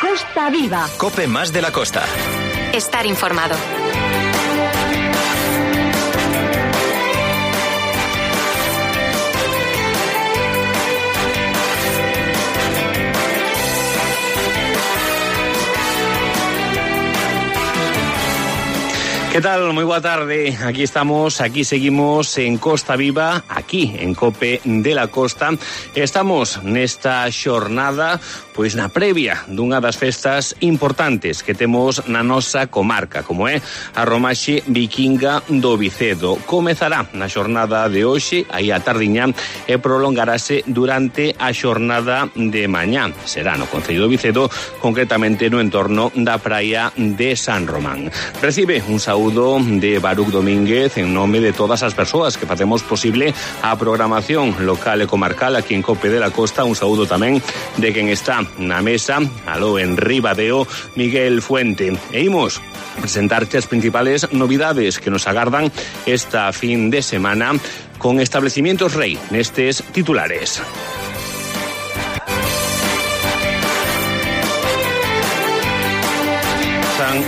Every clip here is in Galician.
Costa Viva. COPE más de la costa. Estar informado. ¿Qué tal? Muy boa tarde. Aquí estamos, aquí seguimos en Costa Viva, aquí en COPE de la Costa. Estamos nesta xornada, pois na previa dunha das festas importantes que temos na nosa comarca, como é a Romaxe Vikinga do Vicedo. Comezará na xornada de hoxe, aí a tardiña, e prolongarase durante a xornada de mañá. Será no Concello do Vicedo, concretamente no entorno da praia de San Román. Recibe un saúdo de Baruch Domínguez en nome de todas as persoas que facemos posible a programación local e comarcal aquí en COPE de la Costa. Un saúdo tamén de quen está na mesa, aló en Ribadeo, Miguel Fuente. E imos presentarte as principales novidades que nos agardan esta fin de semana con Establecimientos Rei nestes titulares.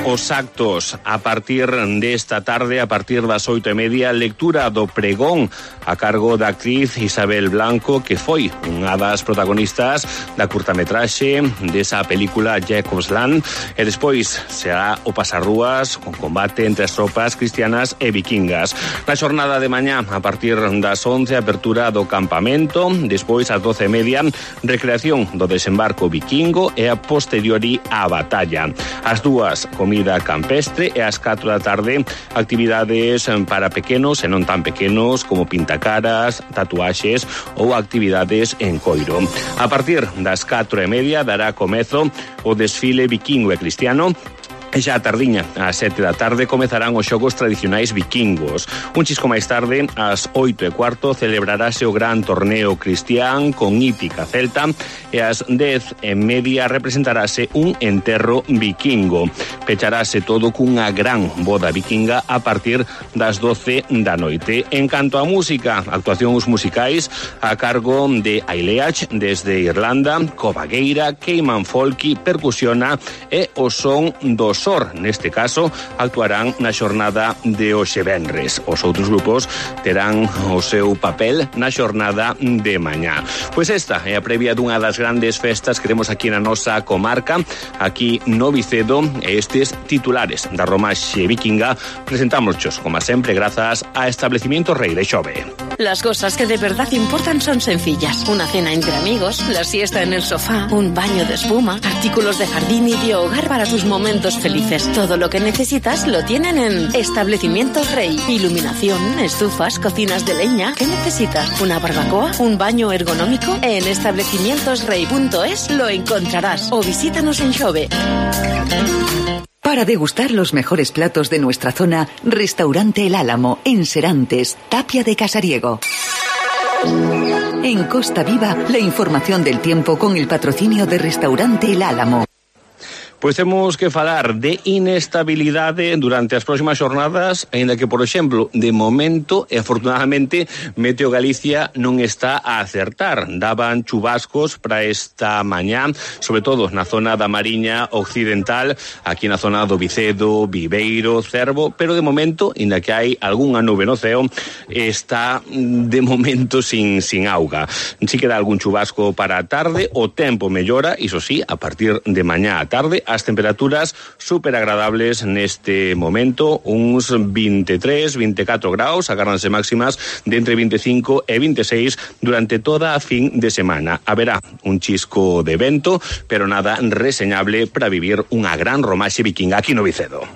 Os actos a partir desta tarde, a partir das 8:30, lectura do pregón a cargo da actriz Isabel Blanco, que foi unha das protagonistas da curtametraxe desa película Jacob's Land, e despois será o pasarrúas con combate entre as tropas cristianas e vikingas. Na xornada de mañá, a partir das 11, apertura do campamento, despois ás 12:30, recreación do desembarco vikingo e a posteriori a batalla. As dúas, comida campestre, e ás 4 da tarde actividades para pequenos e non tan pequenos como pintacaras, tatuaxes ou actividades en coiro. A partir das 4:30 dará comezo o desfile vikingo e cristiano. E xa a tardiña, ás 7 da tarde, comezarán os xogos tradicionais vikingos. Un chisco máis tarde, ás 8:15, celebrarase o gran torneo cristián con hípica celta, e ás 10:30 representarase un enterro vikingo. Pecharase todo cunha gran boda vikinga a partir das 12 da noite. En canto a música, actuacións musicais a cargo de Aileach desde Irlanda, Covagueira, Cayman Folky, Percusiona e o son dos SOR, neste caso, actuarán na xornada de hoxe venres. Os outros grupos terán o seu papel na xornada de mañá. Pois esta é a previa dunha das grandes festas que temos aquí na nosa comarca, aquí no Vicedo, e estes titulares da Romaxe Vikinga presentámoschos, como sempre, grazas a Establecimientos Rei de Xove. Las cosas que de verdad importan son sencillas. Una cena entre amigos, la siesta en el sofá, un baño de espuma, artículos de jardín y de hogar para tus momentos felices. Todo lo que necesitas lo tienen en Establecimientos Rei. Iluminación, estufas, cocinas de leña. ¿Qué necesitas? ¿Una barbacoa? ¿Un baño ergonómico? En establecimientosrei.es lo encontrarás. O visítanos en Xove. Para degustar los mejores platos de nuestra zona, Restaurante El Álamo, en Serantes, Tapia de Casariego. En Costa Viva, la información del tiempo con el patrocinio de Restaurante El Álamo. Pois temos que falar de inestabilidade durante as próximas xornadas, aínda que, por exemplo, de momento, e afortunadamente, Meteo Galicia non está a acertar. Daban chubascos para esta mañá, sobre todo na zona da Mariña Occidental, aquí na zona do Vicedo, Viveiro, Cervo, pero de momento, aínda que hai algunha nube no ceo, está de momento sin auga. Si queda algún chubasco para a tarde, o tempo mellora, iso sí, a partir de mañá a tarde. As temperaturas super agradables neste momento, uns 23, 24 graus, agárdanse máximas de entre 25 e 26 durante toda a fin de semana. Haberá un chisco de vento, pero nada reseñable para vivir unha gran romaxe vikinga aquí no Vicedo.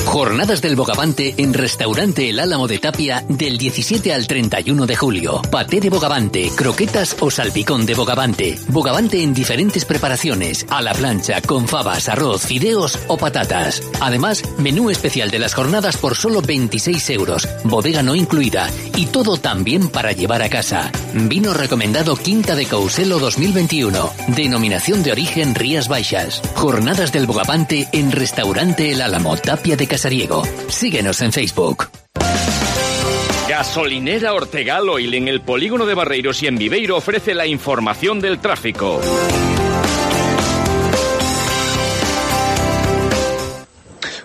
Jornadas del Bogavante en Restaurante El Álamo de Tapia del 17 al 31 de julio. Paté de bogavante, croquetas o salpicón de bogavante. Bogavante en diferentes preparaciones, a la plancha, con fabas, arroz, fideos o patatas. Además, menú especial de las jornadas por solo 26 euros, bodega no incluida, y todo también para llevar a casa. Vino recomendado Quinta de Couselo 2021. Denominación de origen Rías Baixas. Jornadas del Bogavante en Restaurante El Álamo, Tapia de Casariego. Síguenos en Facebook. Gasolinera Ortegal Oil en el polígono de Barreiros y en Viveiro ofrece la información del tráfico.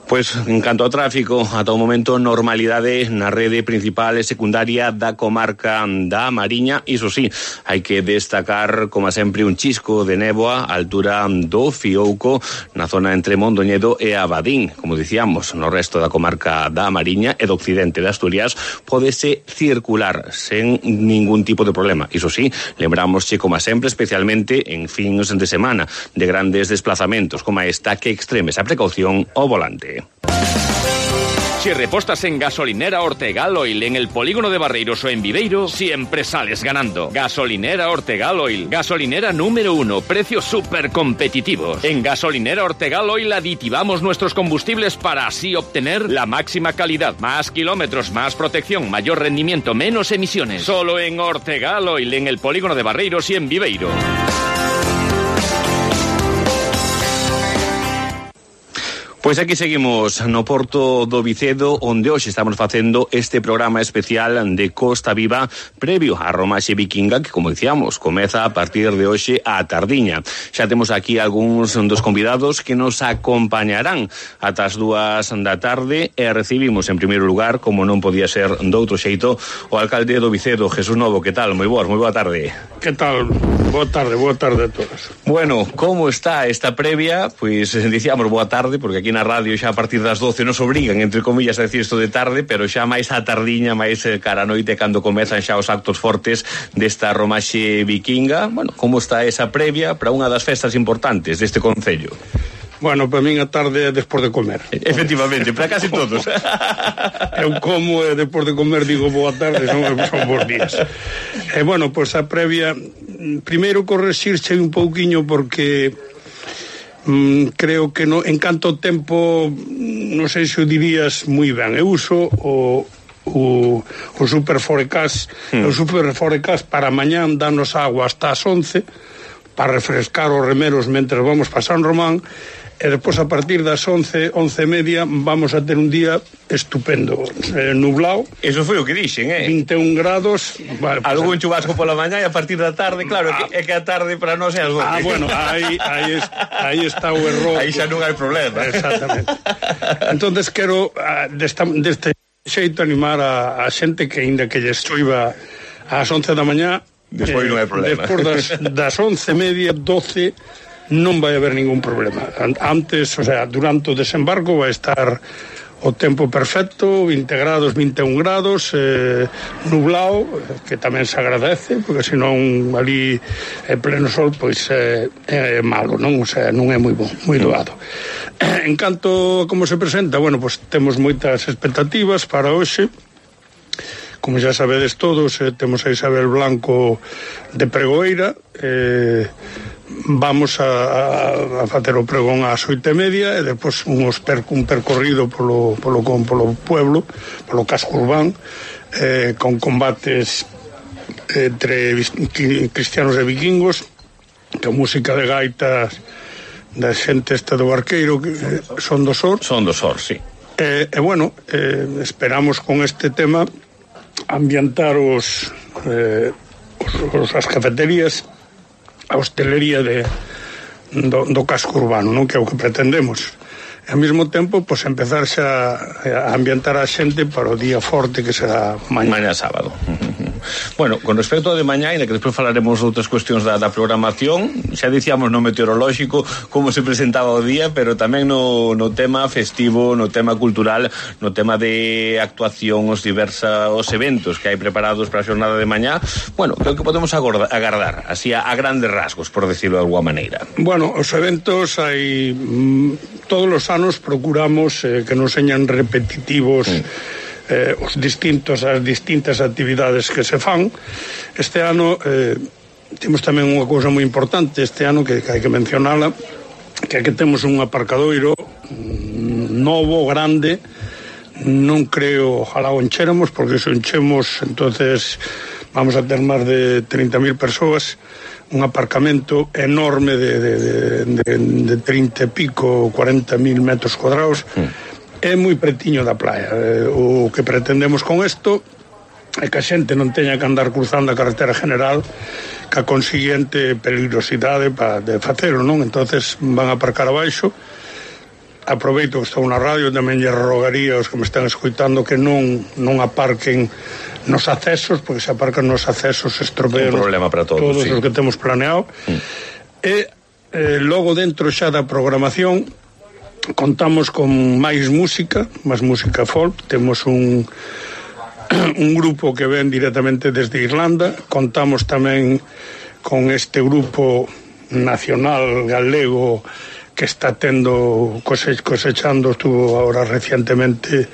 Pois, en canto ao tráfico, ata o momento normalidade na rede principal e secundaria da comarca da Mariña. Iso sí, hai que destacar, como sempre, un chisco de néboa á altura do Fiouco, na zona entre Mondoñedo e Abadín. Como dicíamos, no resto da comarca da Mariña e do occidente de Asturias pódese circular sen ningún tipo de problema. Iso sí, lembramos como sempre, especialmente en fins de semana de grandes desplazamentos como esta, que extremes a precaución ao volante. Si repostas en Gasolinera Ortegal Oil en el polígono de Barreiros o en Viveiro, siempre sales ganando. Gasolinera Ortegal Oil, gasolinera número 1, precios súper competitivos. En Gasolinera Ortegal Oil aditivamos nuestros combustibles para así obtener la máxima calidad, más kilómetros, más protección, mayor rendimiento, menos emisiones. Solo en Ortegal Oil en el polígono de Barreiros y en Viveiro. Pois aquí seguimos no Porto do Vicedo, onde hoxe estamos facendo este programa especial de Costa Viva previo á romaxe vikinga, que, como dicíamos, comeza a partir de hoxe á tardiña. Xa temos aquí algúns dos convidados que nos acompañarán ata as 2 da tarde e recibimos en primeiro lugar, como non podía ser doutro xeito, o alcalde do Vicedo, Jesús Novo. Que tal? Moi boa tarde. Que tal? Boa tarde a todos. Bueno, como está esta previa? Pois dicíamos boa tarde, porque aquí na radio xa a partir das 12 nos obrigan, entre comillas, a decir isto de tarde, pero xa máis a tardiña, máis cara a noite, cando comezan xa os actos fortes desta romaxe vikinga. Bueno, como está esa previa para unha das festas importantes deste concello? Bueno, para min a tarde é despois de comer. Efectivamente, para casi todos. Eu como e despois de comer digo boa tarde, son bons días. Bueno, pois a previa, primeiro correxirse un pouquiño porque creo que no, en canto tempo, non sei se o dirías moi ben. Eu uso o super forecast. O super forecast para mañán danos agua hasta as 11 para refrescar os remeros mentre vamos para San Román, e depois a partir das 11:30 vamos a ter un día estupendo, nublado. Eso foi o que dixen, 21 grados. Vale, pues, algún chubasco pola mañá e a partir da tarde, claro, é que a tarde para nós é as 12. Bueno, aí está o error. Aí xa non hai problema. Exactamente. Entonces quero deste xeito animar a xente que aínda que lle choiva ás 11 da mañá, despois non hai problema. Despois das 11:30, 12 non vai haber ningún problema. Antes, o sea, durante o desembarco vai estar o tempo perfecto, 20 grados, 21 grados, nublado, que tamén se agradece, porque senón ali pleno sol, pois é malo, non? O sea, non é moi bon, moi doado. En canto a como se presenta, bueno, pois temos moitas expectativas para hoxe. Como xa sabedes todos, temos a Isabel Blanco de pregoeira, vamos a facer o pregón ás 8:30 e depois un percorrido polo pueblo, polo casco urbán, con combates entre cristianos e vikingos, con música de gaitas da xente esta do Barqueiro, que son do Sor. Son do Sor, sí. Bueno, esperamos con este tema ambientar as cafeterías, a hostelería do casco urbano, non? Que é o que pretendemos. E ao mesmo tempo, pois, empezar xa a ambientar a xente para o día forte que será mañá sábado. Bueno, con respecto ao de mañá, ainda que despois falaremos outras cuestións da programación, xa dicíamos no meteorolóxico como se presentaba o día, pero tamén no tema festivo, no tema cultural, no tema de actuación, os eventos que hai preparados para a xornada de mañá. Bueno, creo que podemos agardar, así a grandes rasgos, por decirlo de alguma maneira. Bueno, os eventos hai todos os anos procuramos que non señan repetitivos as distintas actividades que se fan. Este ano temos tamén unha cousa moi importante este ano que hai que mencionala, que é que temos un aparcadoiro novo, grande. Non creo, ojalá o enchéramos, porque se o enchemos entonces vamos a ter máis de 30.000 persoas. Un aparcamento enorme de 30 e pico, 40.000 metros cuadrados. É moi pretiño da playa. O que pretendemos con isto é que a xente non teña que andar cruzando a carretera general, ca consiguiente peligrosidade de facelo, non? Entonces van a aparcar abaixo. aproveito que estou na radio, tamén lle rogaría aos que me están escoitando que non aparquen nos accesos, porque se aparcan nos accesos estropean un problema para todos os que temos planeado. E logo dentro xa da programación contamos con máis música folk. Temos un grupo que ven directamente desde Irlanda. Contamos tamén con este grupo nacional galego que está cosechando, estuvo ahora recientemente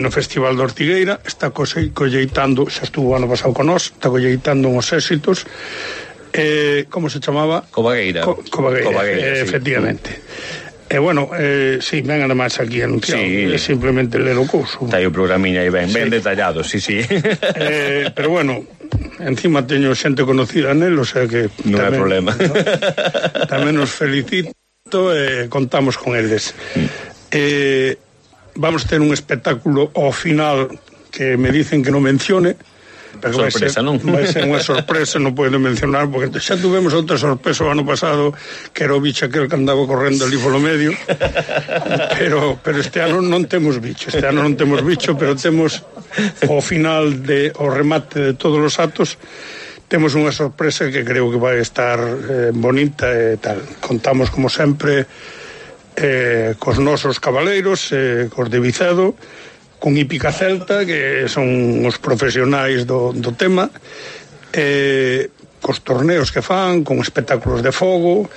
no Festival de Ortigueira, está colleitando, xa estuvo ano pasado con nós, está colleitando uns éxitos. Como se chamaba? Cobagueira, efectivamente. Bueno, sí, ven además aquí anunciado, simplemente ler o couso. Está aí o programiña aí ben detallado, sí. Pero bueno, encima teño xente conocida nel, o sea que non hai problema. Tamén nos felicito e contamos con eles. Vamos ter un espectáculo ao final que me dicen que non mencione, pero sorpresa, non? Vai ser unha sorpresa, non podo mencionar, porque xa tuvemos outra sorpresa o ano pasado, que era o bicho aquel que andaba correndo ali polo medio, pero este ano non temos bicho, pero temos ao final o remate de todos os actos, temos unha sorpresa que creo que vai estar bonita e tal. Contamos como sempre cos nosos cabaleiros, cos de Vicedo, con Hípica Celta, que son os profesionais do tema, cos torneos que fan, con espectáculos de fogo,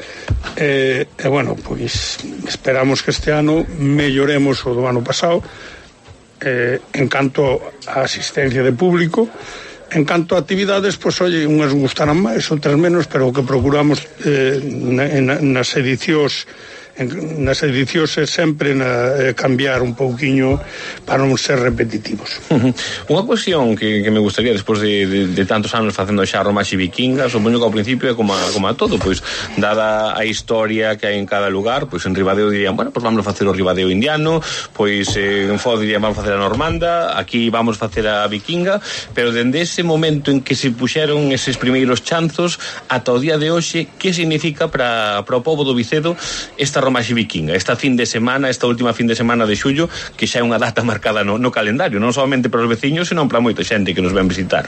e bueno, pois esperamos que este ano melloremos o do ano pasado, en canto a asistencia de público. En canto a actividades, pois, unhas gustarán máis, outras menos, pero o que procuramos nas edicións é sempre cambiar un pouquiño para non ser repetitivos. Unha cuestión que me gustaría, despois de tantos anos facendo xa romaxe vikinga, supoño que ao principio é como a todo, pois dada a historia que hai en cada lugar, pois en Ribadeo dirían, bueno, pois vamos a facer o Ribadeo indiano, pois en Foz dirían vamos a facer a normanda, aquí vamos a facer a vikinga, pero dende ese momento en que se puxeron eses primeiros chanzos ata o día de hoxe, que significa para o pobo do Vicedo esta romaxe vikinga, esta última fin de semana de xullo, que xa é unha data marcada no calendario, non solamente para os veciños, senón para moita xente que nos ven visitar?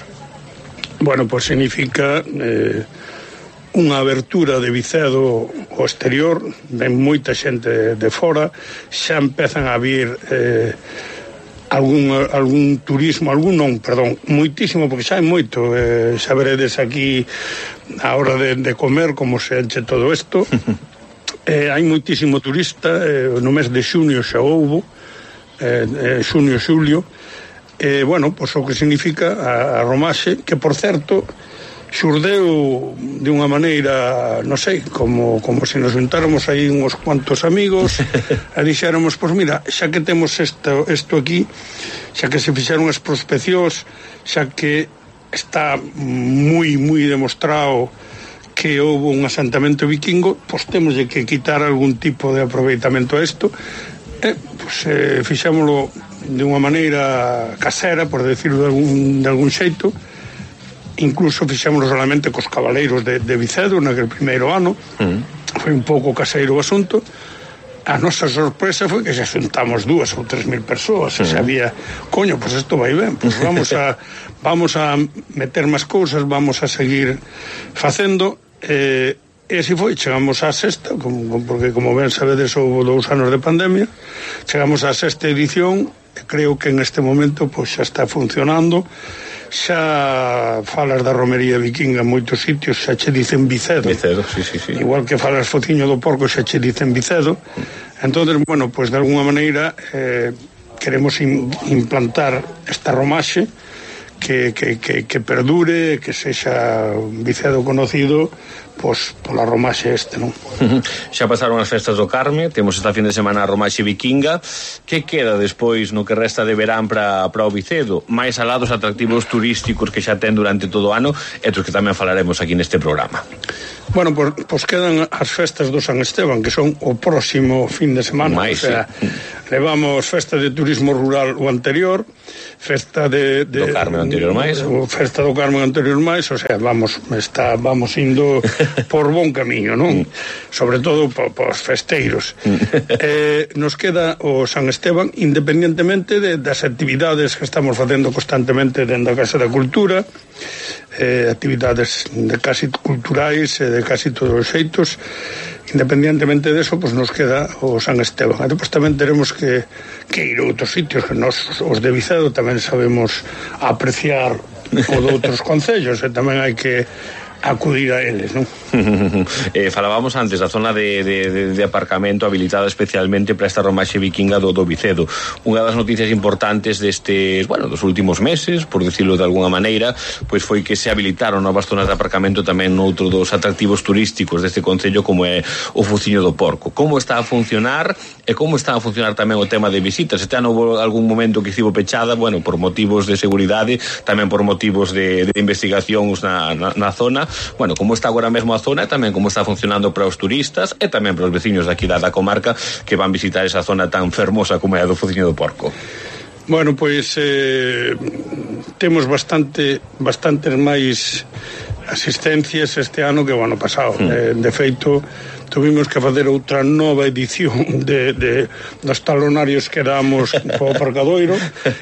Bueno, pois significa unha abertura de Vicedo ao exterior, ven moita xente de fora, xa empezan a vir algún turismo, moitísimo, porque xa hai moito, xa veredes aquí a hora de comer como se enche todo isto. Hai moitísimo turista, no mes de xunio xa houbo, xunio, xulio, bueno, pois o que significa a romaxe, que por certo xurdeu de unha maneira, non sei, como se nos juntáramos aí uns cuantos amigos e dixéramos, pois mira, xa que temos isto aquí, xa que se fixeron as prospeccións, xa que está moi demostrado que houve un asentamento vikingo, pois temos que quitar algún tipo de aproveitamento a isto, pois fixémolo de unha maneira casera, por decirlo de algún xeito. Incluso fixémolo solamente cos cabaleiros de Vicedo naquele primeiro ano. Foi un pouco caseiro o asunto. A nosa sorpresa foi que xa xuntamos 2.000 ou 3.000 persoas, e sabía, coño, pois isto vai ben, pois vamos a meter máis cousas, vamos a seguir facendo. E así foi, chegamos á sexta, porque como ben sabedes houve 2 anos de pandemia, chegamos á sexta edición, e creo que en este momento pois xa está funcionando. Xa falas da romería vikinga en moitos sitios, xa che dicen Vicedo, sí. Igual que falas Fociño do Porco, xa che dicen Vicedo. Entonces, bueno, pois de alguna maneira queremos implantar esta romaxe que perdure, que sexa Vicedo conocido pois pola romaxe non? Xa pasaron as festas do Carme, temos esta fin de semana a romaxe vikinga. Que queda despois no que resta de verán para o Vicedo? Mais alá dos atractivos turísticos que xa ten durante todo o ano, e dos que tamén falaremos aquí neste programa. Bueno, pois quedan as festas do San Esteban, que son o próximo fin de semana. Levamos festa de turismo rural o anterior, festa do Carme anterior máis, festa do Carme anterior máis, o sea, vamos indo por bon camiño, non? Sobre todo pos festeiros. Nos queda o San Esteban, independentemente das actividades que estamos facendo constantemente dentro da Casa da Cultura, actividades de casi culturais e de casi todos os xeitos. Independientemente deso, pues nos queda o San Esteban. E depois tamén teremos que ir a outros sitios que nos, os de Vicedo, tamén sabemos apreciar o de outros concellos, e tamén hai que acudir a eles, non? Falábamos antes da zona de aparcamento habilitada especialmente para esta romaxe vikinga do Vicedo. Unha das noticias importantes destes, dos últimos meses, por decirlo de alguna maneira, pois foi que se habilitaron novas zonas de aparcamento tamén noutro dos atractivos turísticos deste concello, como é o Fuciño do Porco. Como está a funcionar e como está a funcionar tamén o tema de visitas? Este ano houve algún momento que estivo pechada, por motivos de seguridade, tamén por motivos de investigacións na zona. Como está agora mesmo a zona, e tamén como está funcionando para os turistas e tamén para os veciños daqui da comarca que van visitar esa zona tan fermosa como é a do Fuciño do Porco. Temos bastantes máis asistencias este ano que o ano pasado. De feito, tuvimos que facer outra nova edición dos talonarios que damos po aparcadoiro.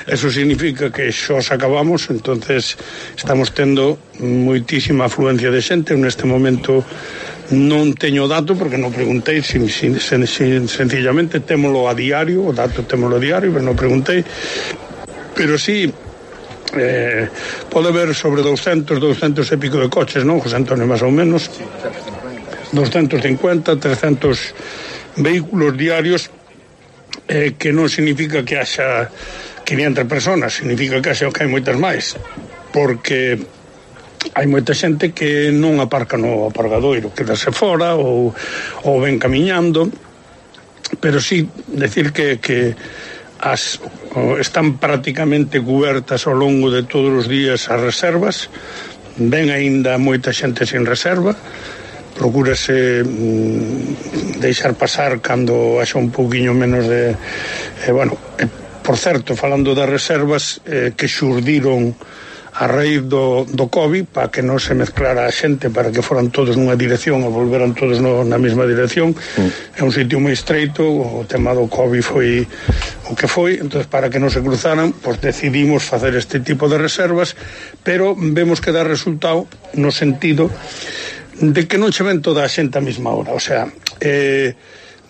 Eso significa que xa os acabamos, entonces estamos tendo moitísima afluencia de xente. Neste momento non teño dato porque non preguntei, sencillamente témolo a diario, o dato témolo a diario, pero non preguntei. Pero sí, pode haber sobre 200 e pico de coches, non, José Antonio, máis ou menos? 250, 300 vehículos diarios, que non significa que haxa 500 personas, significa que hai moitas máis, porque hai moita xente que non aparca no aparcadoiro, quedase fora ou ven camiñando, pero sí decir que están prácticamente cubertas ao longo de todos os días as reservas. Ven aínda moita xente sin reserva, procúrase deixar pasar cando haxa un pouquiño menos de por certo, falando das reservas que xurdiron a raíz do COVID, para que non se mezclara a xente, para que foran todos nunha dirección e volveran todos na mesma dirección. É un sitio moi estreito, o tema do COVID foi o que foi, entonces para que non se cruzaran, pues decidimos facer este tipo de reservas, pero vemos que dá resultado no sentido de que non che ven toda a xente a mesma hora, o sea,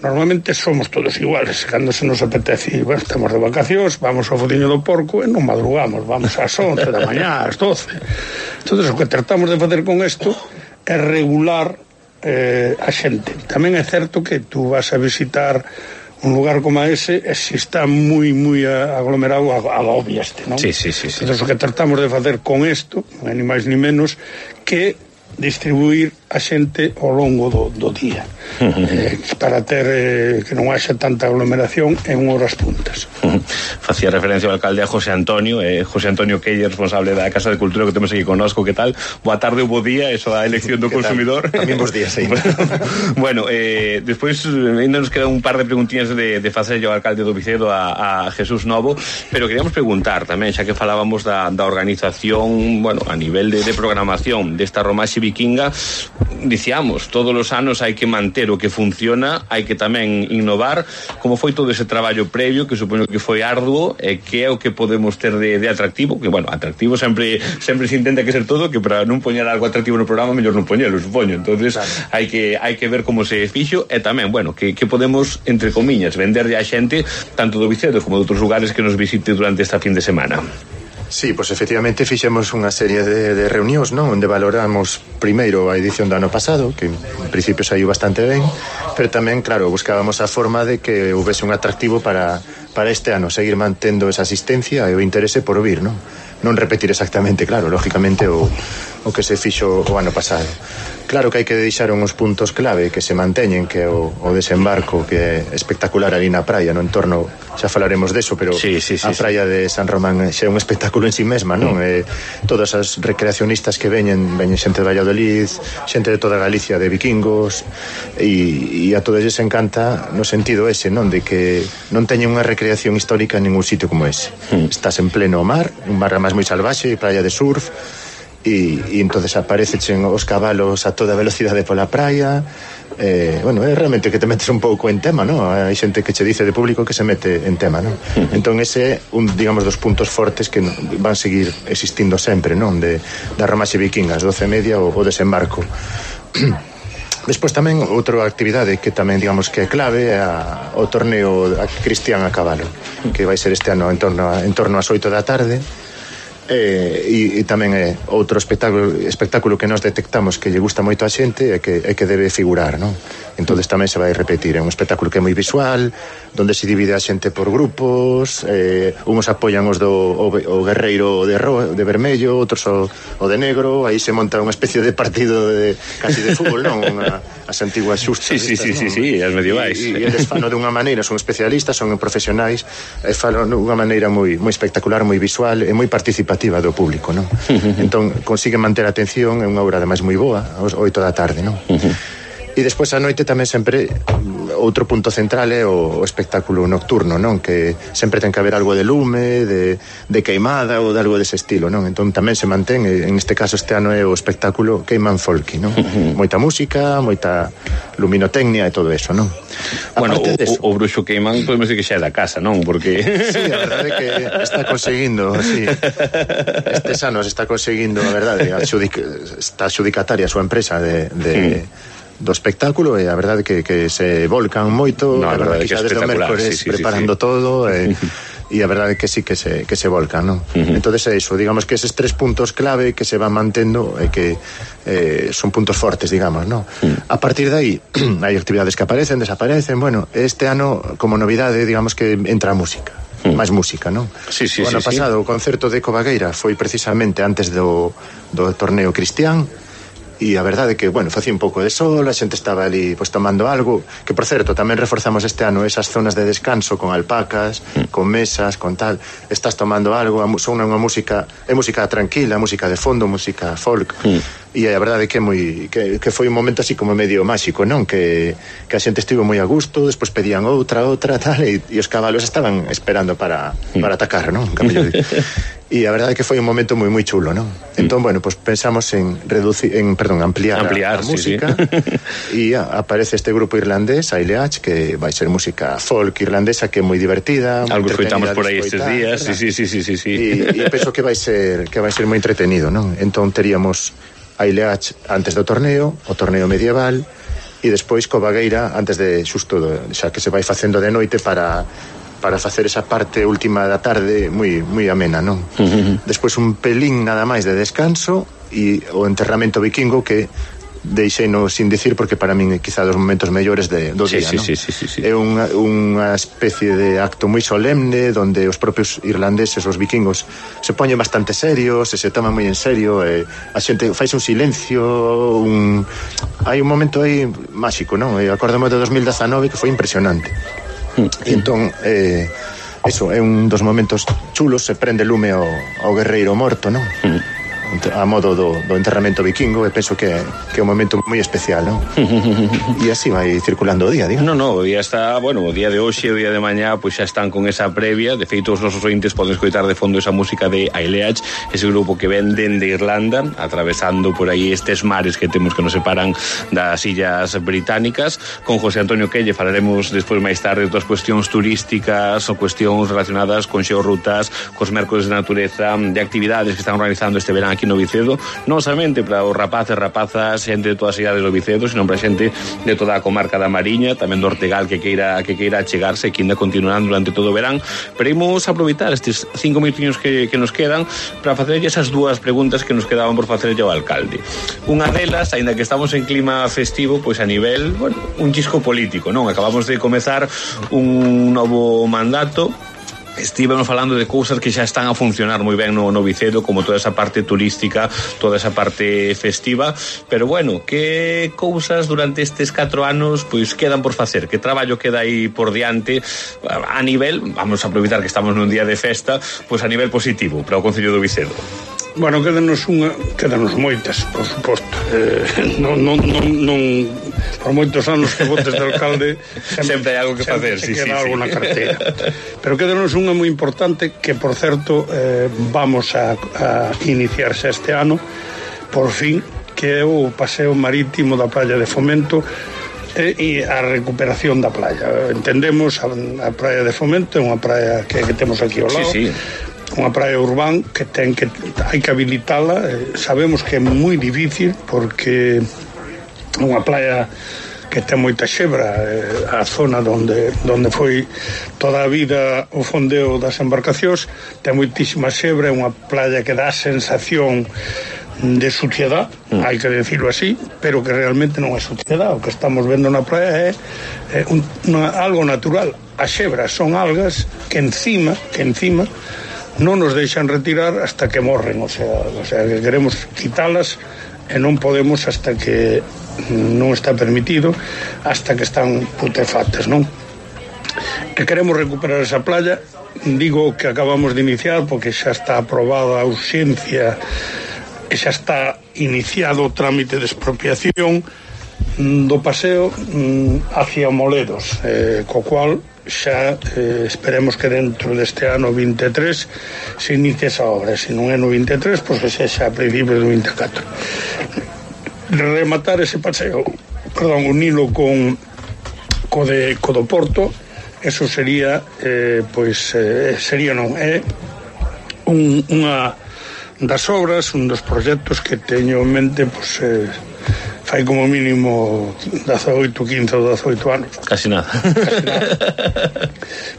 normalmente somos todos iguales, cando se nos apetece, estamos de vacacións, vamos ao Fuciño do Porco e non madrugamos, vamos ás 11 da mañá, ás 12. Entonces o que tratamos de facer con isto é regular a xente. Tamén é certo que tú vas a visitar un lugar como ese, e se está moi aglomerado, agobiaste, non? Sí. Entonces o que tratamos de facer con isto, non é ni máis ni menos que distribuir a xente ao longo do día, para ter que non haxa tanta aglomeración en horas puntas. Facía referencia ao alcalde a José Antonio Quelle, responsable da Casa de Cultura que temos aquí connosco. Que tal? Boa tarde ou bo día, eso da elección do consumidor. Tamén bons días, sí. Despois ainda nos queda un par de preguntiñas de facerlle ao alcalde do Vicedo a Jesús Novo, pero queríamos preguntar tamén, xa que falábamos da organización, a nivel de programación desta romaxe vikinga, dicíamos, todos os anos hai que manter o que funciona, hai que tamén innovar. Como foi todo ese traballo previo, que supoño que foi arduo, e que é o que podemos ter de atractivo? Que, atractivo sempre se intenta que ser todo, que para non poñer algo atractivo no programa, mellor non poñelo, supoño. Entonces, hai que ver como se fixo, e tamén, que podemos, entre comiñas, venderlle a xente, tanto do Vicedo como de outros lugares que nos visite durante esta fin de semana. Sí, pois efectivamente fixemos unha serie de reunións, non? Onde valoramos primeiro a edición do ano pasado, que en principio saiu bastante ben, pero tamén, claro, buscábamos a forma de que houvese un atractivo para este ano, seguir mantendo esa asistencia e o interese por vir, non? Non repetir exactamente, claro, lógicamente o que se fixo o ano pasado. Claro que hai que deixar uns puntos clave que se manteñen, que o desembarco, que é espectacular ali na praia, no entorno, xa falaremos deso, pero sí, a praia de San Román xa é un espectáculo en sí mesma, non? Todas as recreacionistas que veñen xente de Valladolid, xente de toda Galicia, de vikingos, e a todos lles encanta no sentido ese, non? De que non teñen unha recreación histórica en ningún sitio como ese. Estás en pleno mar, un mar máis moi salvaxe, praia de surf, e entonces aparecechen os cabalos a toda velocidade pola praia. Bueno, é realmente que te metes un pouco en tema, ¿no? Hai xente que che dice de público que se mete en tema, ¿no? Entón ese é un, digamos, dos puntos fortes que van seguir existindo sempre, non? Da romaxe vikinga, as 12:30 o desembarco. Despois tamén outra actividade que tamén, digamos, que é clave é o torneo cristián a cabalo, que vai ser este ano en torno ás 8 da tarde. E tamén é outro espectáculo que nós detectamos que lle gusta moito a xente e que debe figurar, non? Entonces tamén se vai repetir. É un espectáculo que é moi visual, donde se divide a xente por grupos, uns apoian os o guerreiro de vermello, outros o de negro, aí se monta unha especie de partido casi de fútbol, non? As antiguas xustas. Sí, as medievais. E eles fano dunha maneira, son especialistas, son profesionais, e fano dunha maneira moi espectacular, moi visual e moi participativa do público, non? Entón, consigue manter a atención, é unha obra ademais moi boa, aos 8 da tarde, non? E despois a noite tamén sempre outro punto central é o espectáculo nocturno, non? Que sempre ten que haber algo de lume, de queimada ou de algo dese estilo, non? Entón tamén se mantén, en este caso este ano é o espectáculo Queiman Folky, non? Moita música, moita luminotecnia e todo eso, non? Bueno, o bruxo Queiman podemos decir que xa é da casa, non? Porque sí, a verdade é que está conseguindo, sí. Estes anos está conseguindo, a verdade, está adjudicataria a súa empresa do espectáculo e a verdade que se volcan moito, a verdade que xa desde o mércores preparando todo e a verdade que sí que se volcan, non? Entonces é iso, digamos que eses 3 puntos clave que se van mantendo e que son puntos fortes, digamos, non? A partir de aí hai actividades que aparecen, desaparecen, bueno, este ano como novidade, digamos que entra a música. máis música, non? O ano pasado o concerto de Cobagueira foi precisamente antes do torneo cristián. E a verdade é que, bueno, facía un pouco de sol, a xente estaba ali pois tomando algo, que por certo, tamén reforzamos este ano esas zonas de descanso con alpacas, con mesas, con tal, estás tomando algo, son unha música, é música tranquila, música de fondo, música folk. E a verdade é que foi un momento así como medio máxico, non? Que a xente estivo moi a gusto, despois pedían outra, tal, e os cabalos estaban esperando para atacar, non? E a verdade é que foi un momento moi chulo, non? Entón, bueno, pues pensamos en ampliar a música e aparece este grupo irlandés, Aileach, que vai ser música folk irlandesa que é moi divertida, algo escoitamos por aí estes días, sí. E penso que vai ser moi entretenido, non? Entón teríamos Aileach antes do torneo, o torneo medieval, e despois Cobagueira antes de xusto, xa que se vai facendo de noite para facer esa parte última da tarde moi amena, non? Despois un pelín nada máis de descanso e o enterramento vikingo que deixeino sin dicir porque para min é quizá dos momentos mellores do día, non? É unha especie de acto moi solemne donde os propios irlandeses, os vikingos, se poñen bastante serios, se toman moi en serio, a xente faise un silencio, hai un momento aí máxico, non? Acordamos de 2019 que foi impresionante. E entón eso é un dos momentos chulos, se prende lume ao guerreiro morto, non? A modo do enterramento vikingo, e penso que é un momento moi especial, non? E así vai circulando o día, diga. No, o día está, bueno, o día de hoxe, o día de mañá, pois xa están con esa previa. De feito, os nosos ointes poden escoitar de fondo esa música de Aileach, ese grupo que ven dende Irlanda, atravesando por aí estes mares que temos que nos separan das illas británicas. Con José Antonio Quelle falaremos despois máis tarde de outras cuestións turísticas ou cuestións relacionadas con xeorrutas, cos mércores de natureza, de actividades que están organizando este verán aquí no Vicedo, non somente para os rapaces, rapazas, xente de todas as cidades do Vicedo, sino para xente de toda a comarca da Mariña, tamén do Ortegal que queira achegarse, que ainda continuarán durante todo o verán. Pero imos aproveitar estes 5 minutinhos que nos quedan para facerlle esas dúas preguntas que nos quedaban por facerlle ao alcalde. Unha delas, aínda que estamos en clima festivo, pois a nivel, bueno, un chisco político, non? Acabamos de comezar un novo mandato. Estivemos falando de cousas que xa están a funcionar moi ben no Vicedo, como toda esa parte turística, toda esa parte festiva, pero bueno, que cousas durante estes 4 anos pois quedan por facer, que traballo queda aí por diante a nivel, vamos a aproveitar que estamos nun día de festa, pois a nivel positivo para o Concello do Vicedo. Bueno, quedanos moitas, por suposto. Non por moitos anos que votes de alcalde sempre hai algo que facer, sí. Queda algo na carteira. Pero quedanos unha moi importante que, por certo, vamos a iniciarse este ano, por fin, que é o paseo marítimo da Praia de Fomento e a recuperación da praia. Entendemos a Praia de Fomento é unha praia que temos aquí ao lado, unha praia urbana que hai que habilitala. Sabemos que é moi difícil porque unha praia que ten moita xebra, a zona onde foi toda a vida o fondeo das embarcacións, ten moitísima xebra, é unha playa que dá a sensación de suciedade, hai que decirlo así, pero que realmente non é suciedade. O que estamos vendo na praia é algo natural. As xebras son algas que encima non nos deixan retirar hasta que morren, o sea que queremos quitalas e non podemos hasta que non está permitido, hasta que están putrefactas, non? E queremos recuperar esa playa. Digo que acabamos de iniciar porque xa está aprobada a urxencia e xa está iniciado o trámite de expropiación do paseo hacia Moledos, co cual xa esperemos que dentro deste ano 23 se inicie esa obra. Se non é no 23, pois que xa a principios do 24. Rematar ese paseo, unilo co do Porto, eso sería unha das obras, un dos proxectos que teño en mente, fai como mínimo 15 ou 18 anos. Casi nada.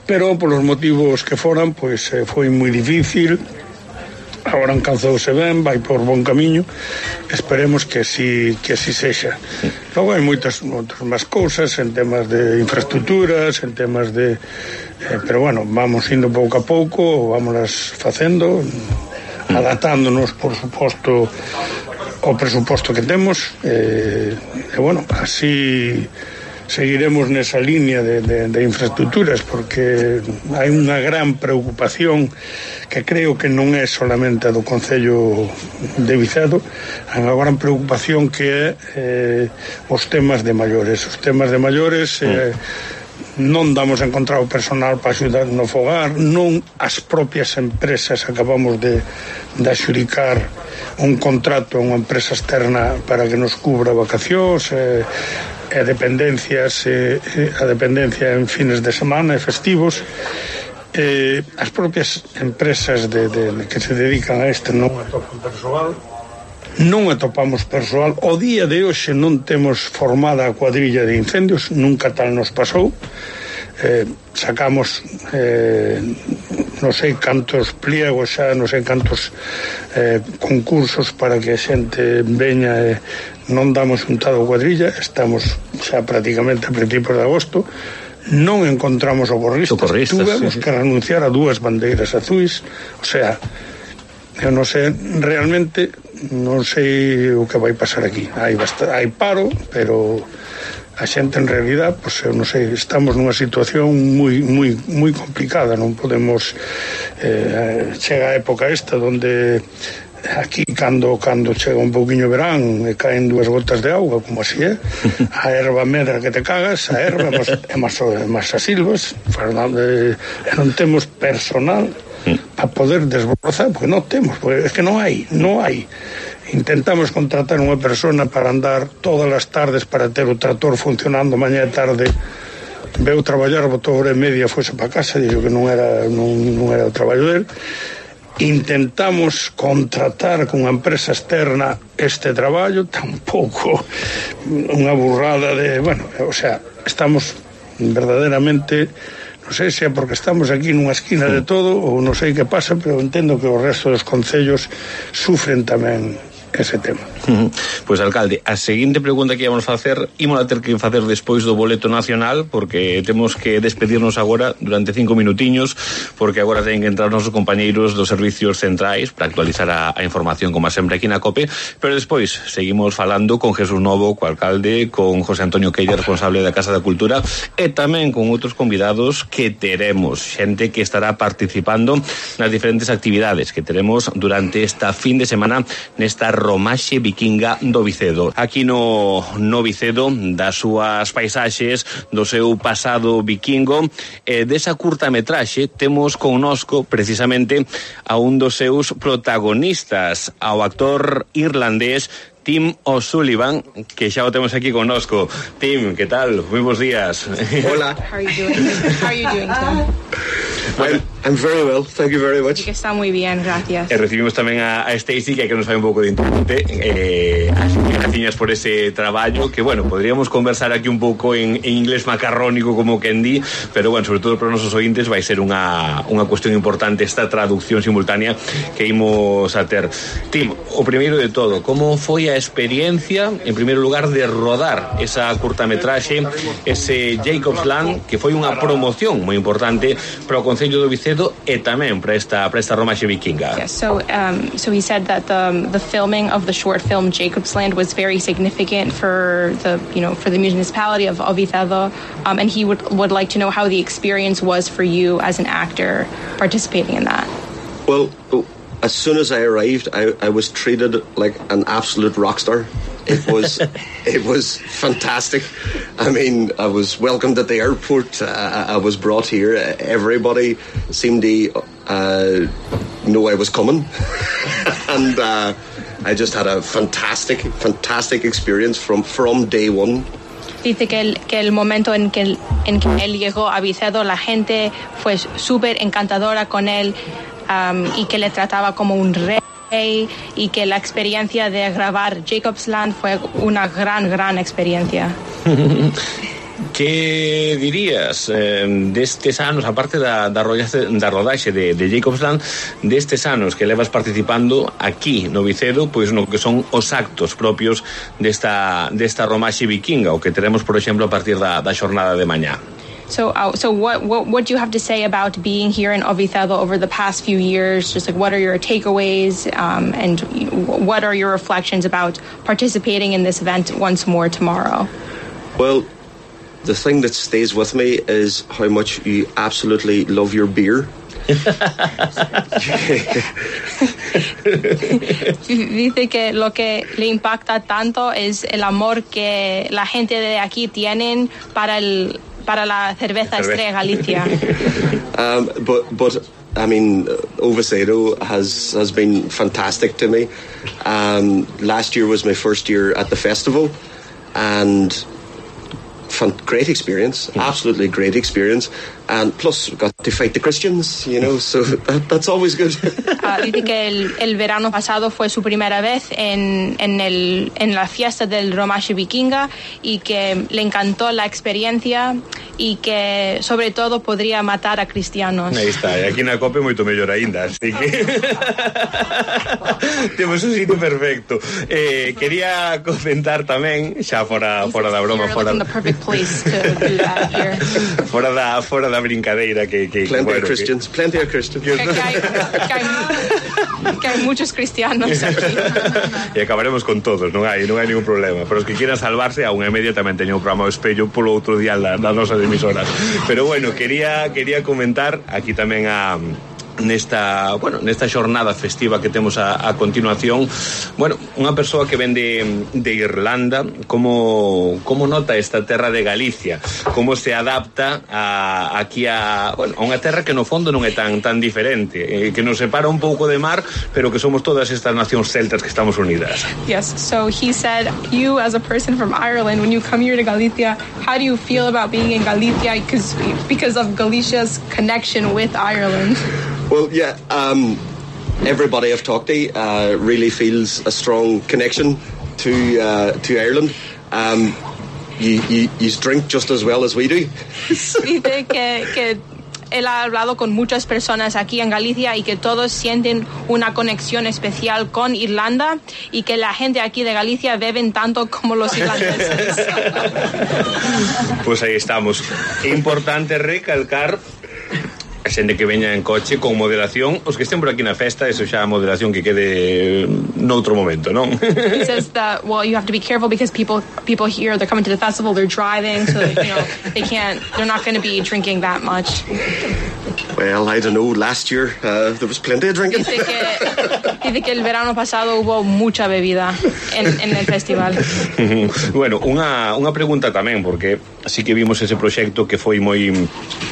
Pero polos motivos que foran, foi moi difícil. Agora encanzouse ben, vai por bon camiño, esperemos que así sexa. Logo hai moitas máis cousas en temas de infraestructuras, en temas de... pero bueno, vamos indo pouco a pouco, vámonos facendo, adaptándonos, por suposto, ao presuposto que temos, e bueno, así seguiremos nesa línea de infraestructuras, porque hai unha gran preocupación que creo que non é solamente a do Concello de Vicedo, hai unha gran preocupación que é os temas de maiores. Os temas de maiores non damos encontrado personal para axudar no fogar, non as propias empresas acabamos de adxudicar un contrato a unha empresa externa para que nos cubra vacacións, a dependencia en fines de semana e festivos. As propias empresas que se dedican a non atopamos persoal. O día de hoxe non temos formada a cuadrilla de incendios, nunca tal nos pasou. Sacamos non sei cantos pliegos xa, non sei cantos concursos para que a xente veña, e non damos juntado a cuadrilla. Estamos xa prácticamente a principios de agosto, non encontramos socorristas. Tuvemos que renunciar a 2 bandeiras azuis. O sea, eu non sei realmente, non sei o que vai pasar aquí. Hai paro, pero a xente en realidad, eu non sei, estamos nunha situación moi complicada. Non podemos chega a época esta onde aquí cando chega un pouquiño verán e caen 2 gotas de auga, como así é, a erva medra que te cagas, a erva é máis as silvas, e non temos personal para poder desbrozar, porque non temos, porque é que non hai. Intentamos contratar unha persona para andar todas as tardes para ter o trator funcionando mañá e tarde. Veu traballar, botou hora e media, fose para casa, dixo que non era o traballo dele. Intentamos contratar con unha empresa externa este traballo, tampouco, unha burrada de... Bueno, o sea, estamos verdadeiramente... Non sei se é porque estamos aquí nunha esquina de todo ou non sei que pasa, pero entendo que o resto dos concellos sufren tamén ese tema. Pois, alcalde, a seguinte pregunta que íamos facer ímola ter que facer despois do boleto nacional, porque temos que despedirnos agora durante 5 minutiños, porque agora teñen que entrar os nosos compañeiros dos servicios centrais para actualizar a información, como sempre aquí na COPE. Pero despois seguimos falando con Jesús Novo, co alcalde, con José Antonio Queira, responsable da Casa da Cultura, e tamén con outros convidados que teremos, xente que estará participando nas diferentes actividades que teremos durante esta fin de semana nesta Romaxe Vikinga do Vicedo. Aquí no Vicedo, das súas paisaxes, do seu pasado vikingo, desa curtametraxe temos connosco precisamente a un dos seus protagonistas, ao actor irlandés Tim O'Sullivan, que xa o temos aquí connosco. Tim, que tal? Moi bons días. Hola. How are you doing, Tim? I'm very well, thank you very much. Que está moi bien, gracias. Recibimos tamén a Stacy, que nos fai un pouco de intérprete. Así que graciñas por ese traballo, que, bueno, podríamos conversar aquí un pouco en inglés macarrónico, como quen di, pero, bueno, sobre todo para os nosos ointes vai ser unha cuestión importante esta traducción simultánea que imos a ter. Tim, o primeiro de todo, como foi a experiencia, en primeiro lugar, de rodar esa curtametraxe, ese Jacob's Land, que foi unha promoción moi importante para o Concello do Vicedo e tamén para esta Romaxe Vikinga. Yeah, so he said that the filming of the short film Jacob's Land was very significant for the municipality of Vicedo, and he would like to know how the experience was for you as an actor participating in that. Well, as soon as I arrived, I was treated like an absolute rock star. It was fantastic. I mean, I was welcomed at the airport. I was brought here. Everybody seemed to know I was coming, and I just had a fantastic experience from day one. Dice que el momento en que él llegó a Vicedo, la gente fue súper encantadora con él, y que le trataba como un rey, y que la experiencia de grabar Jacob's Land fue una gran experiencia. Que dirías destes anos, aparte da rodaxe de Jacob's Land, destes anos que levas participando aquí no Vicedo, pois no que son os actos propios desta Romaxe Vikinga, o que teremos, por exemplo, a partir da xornada de mañá? So what do you have to say about being here in Vicedo over the past few years? Just like, what are your takeaways, and what are your reflections about participating in this event once more tomorrow? Well, the thing that stays with me is how much you absolutely love your beer. Dice que lo que le impacta tanto es el amor que la gente de aquí tienen para la cerveza Estrella Galicia. But I mean, Vicedo has been fantastic to me. Last year was my first year at the festival, and great experience, absolutely great experience, and plus got to fight the Christians, so that's always good. Dice que el verano pasado fue su primera vez en la fiesta del Romaxe Vikinga, y que le encantó la experiencia, y que sobre todo podría matar a cristianos. Aí está, e aquí na COPE moito mellor aínda, así que temos un sitio perfecto. Quería comentar tamén, xa fora da broma, fora the perfect place to do that here. fora da brincadeira que plenty of Christians. Que hai muchos cristianos aquí. E acabaremos con todos, non hai ningún problema. Pero os que quieran salvarse, a 1:30 tamén teño un programa do Espello polo outro día da nosa emisora. Pero bueno, quería comentar aquí tamén nesta xornada festiva que temos a continuación, unha persoa que ven de Irlanda, como nota esta terra de Galicia, como se adapta aquí a unha terra que no fondo non é tan diferente, que nos separa un pouco de mar, pero que somos todas estas nacións celtas que estamos unidas. Yes, so he said, you as a person from Ireland, when you come here to Galicia, how do you feel about being in Galicia because of Galicia's connection with Ireland? Well, yeah, everybody I've talked to really feels a strong connection to Ireland. You drink just as well as we do. Dice que él ha hablado con muchas personas aquí en Galicia y que todos sienten una conexión especial con Irlanda, y que la gente aquí de Galicia beben tanto como los irlandeses. Pues ahí estamos. Importante recalcar a xente que veña en coche con moderación, os que estén por aquí na festa, eso xa a moderación que quede noutro momento, non? He says that, well, you have to be careful because people here, they're coming to the festival, they're driving, so they're not going to be drinking that much. Well, I don't know, last year there was plenty of drinking. Dice Dice que el verano pasado hubo mucha bebida en el festival. Bueno, unha pregunta tamén, porque así que vimos ese proxecto que foi moi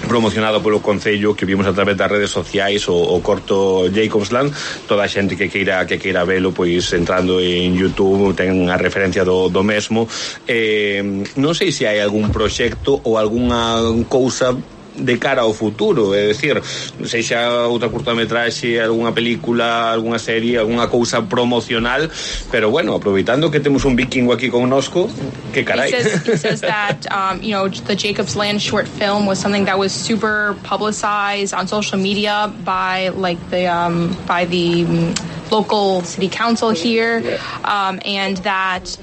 promocionado polo Concello, que vimos a través das redes sociais, o corto Jacobsland. Toda a xente que queira velo, pois entrando en YouTube ten a referencia do mesmo. Non sei se hai algún proxecto ou algunha cousa de cara ao futuro, é dicir, sexa outra curtametraxe, algunha película, algunha serie, algunha cousa promocional, pero bueno, aproveitando que temos un vikingo aquí connosco, que carai. He says that the Jacobsland short film was something that was super publicized on social media by the local city council here, and that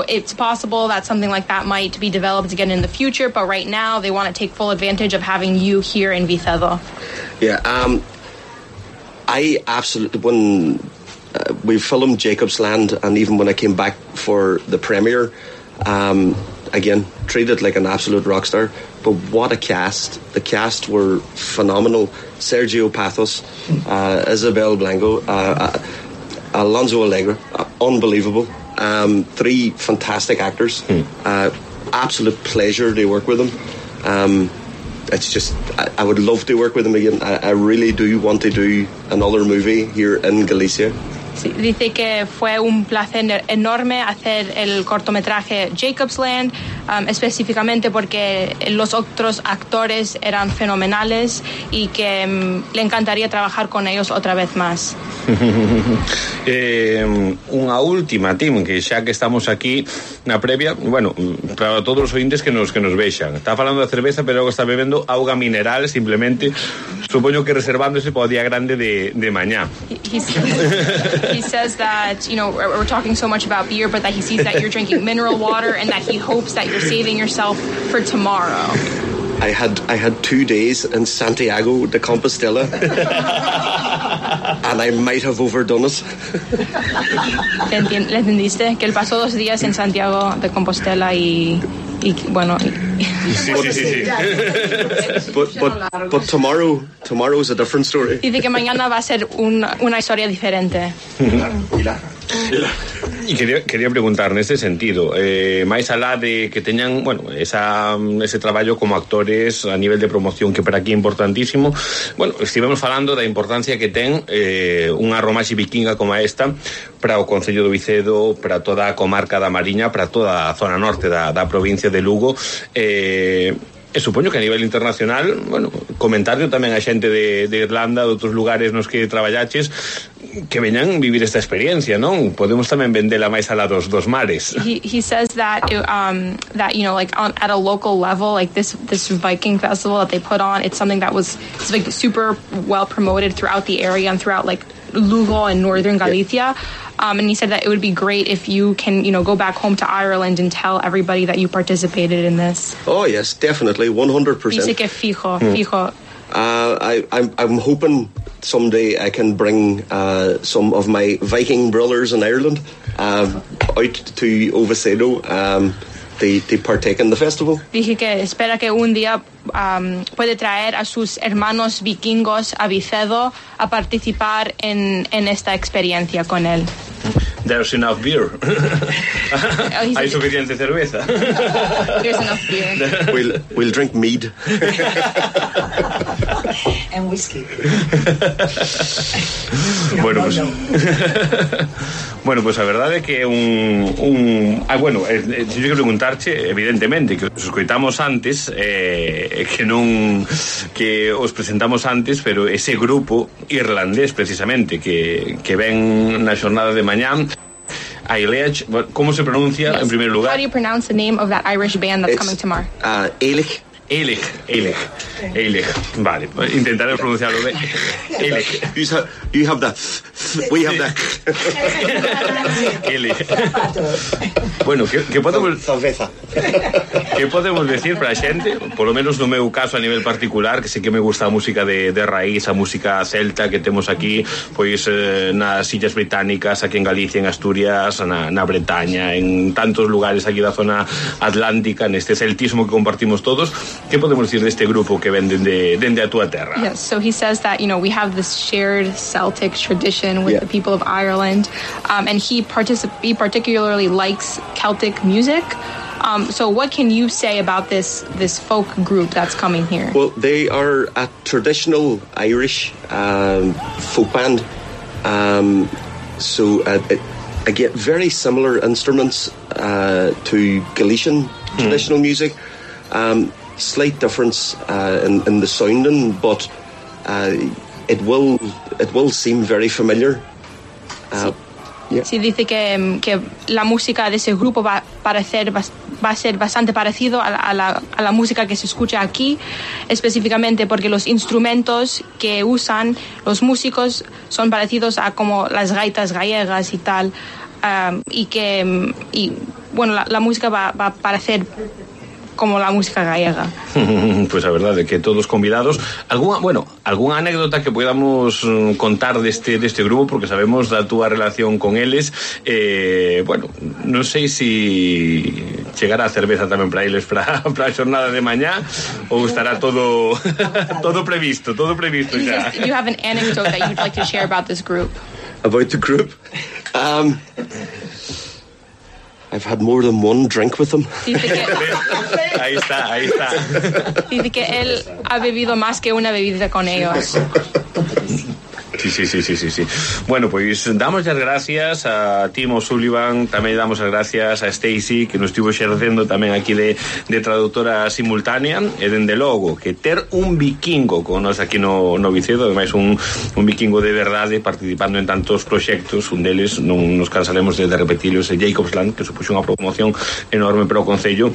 it's possible that something like that might be developed again in the future, but right now they want to take full advantage of having you here in Vicedo. Yeah, I absolutely, when we filmed Jacobsland, and even when I came back for the premiere, again, treated like an absolute rock star, but what a cast. The cast were phenomenal. Sergio Pathos, Isabel Blanco, Alonso Alegre, unbelievable. 3 fantastic actors. Absolute pleasure to work with them. It's just, I would love to work with them again. I really do want to do another movie here in Galicia. Sí, dice que fue un placer enorme hacer el cortometraje Jacobsland, específicamente porque los otros actores eran fenomenales y que le encantaría trabajar con ellos otra vez más. Unha última, Tim, que xa que estamos aquí na previa, bueno, para todos os ointes que nos vexan, está falando da cerveza, pero está bebendo auga mineral, simplemente, supoño que reservándose para o día grande de mañá. He says that, we're talking so much about beer, but that he sees that you're drinking mineral water and that he hopes that you're saving yourself for tomorrow. I had 2 days in Santiago de Compostela, and I might have overdone it. ¿Le entendiste? Que él pasó 2 días en Santiago de Compostela y bueno. Sí. But tomorrow is a different story. Dice que mañana va a ser una historia diferente. E quería preguntar neste sentido, máis alá de que teñan, bueno, ese traballo como actores a nivel de promoción, que para aquí é importantísimo, bueno, estivemos falando da importancia que ten unha romaxe vikinga como esta para o Concello do Vicedo, para toda a comarca da Mariña, para toda a zona norte da provincia de Lugo. E supoño que a nivel internacional, bueno, comentarlo tamén a xente de Irlanda, de outros lugares nos que traballaches, que veñan vivir esta experiencia, non? Podemos tamén vendela máis alá dos mares. He says that at a local level, like this Viking festival that they put on, it's something that was like super well promoted throughout the area and throughout like Lugo and northern Galicia. And he said that it would be great if you can, go back home to Ireland and tell everybody that you participated in this. Oh yes, definitely, 100%. Dice que fijo. I'm hoping someday I can bring some of my Viking brothers in Ireland out to Oviedo to partake in the festival. Dije que espera que un día puede traer a sus hermanos vikingos a Vicedo a participar en esta experiencia con él. There's enough beer. Hay suficiente cerveza. There's enough beer. We'll drink mead. And whiskey. Bueno, pues a verdade é que eu quero preguntarche, evidentemente, que os escoitamos antes, que os presentamos antes, pero ese grupo irlandés precisamente que ven na xornada de mañán, Ailech, ¿cómo se pronuncia en primer lugar? How do you pronounce the name of that Irish band that's coming tomorrow? Ailech. Vale, intentaré pronunciarlo bien. Ailech. You have that. We have that. Ailech. Bueno, ¿qué podemos decir para a xente? Por lo menos no meu caso a nivel particular, que sei que me gusta a música de raíz, a música celta que temos aquí, pois nas Illas Británicas, aquí en Galicia, en Asturias, na Bretaña, en tantos lugares aquí da zona atlántica, neste celtismo que compartimos todos. que podemos decir deste grupo que ven dende a túa terra? Yes, so he says that, we have this shared Celtic tradition with the people of Ireland, and he particularly likes Celtic music. So what can you say about this folk group that's coming here? Well, they are a traditional Irish folk band. Again, very similar instruments to Galician traditional music. Slight difference in the sounding, but it will seem very familiar. Sí, dice que la música de ese grupo va a ser bastante parecido a la música que se escucha aquí, específicamente porque los instrumentos que usan los músicos son parecidos a como las gaitas gallegas y tal, y la música va a parecer como la música gallega. Pues a verdade que todos convidados. Algunha anécdota que podamos contar deste grupo, porque sabemos da túa relación con eles. Non sei si chegará a cerveza tamén para eles para a xornada de mañá, ou estará todo previsto xa. You have an anecdote that you'd like to share about this group? About the group? I've had more than one drink with them. Ahí está. Dice que él ha bebido más que una bebida con ellos. Sí. Bueno, pois damos as gracias a Tim O'Sullivan, tamén damos as gracias a Stacey, que nos estivo xercendo tamén aquí de traductora simultánea, e dende logo que ter un vikingo con nos aquí no Vicedo, ademais un vikingo de verdade participando en tantos proxectos, un deles non nos cansaremos de repetilos, é Jacobsland, que supuxo unha promoción enorme para o Concello.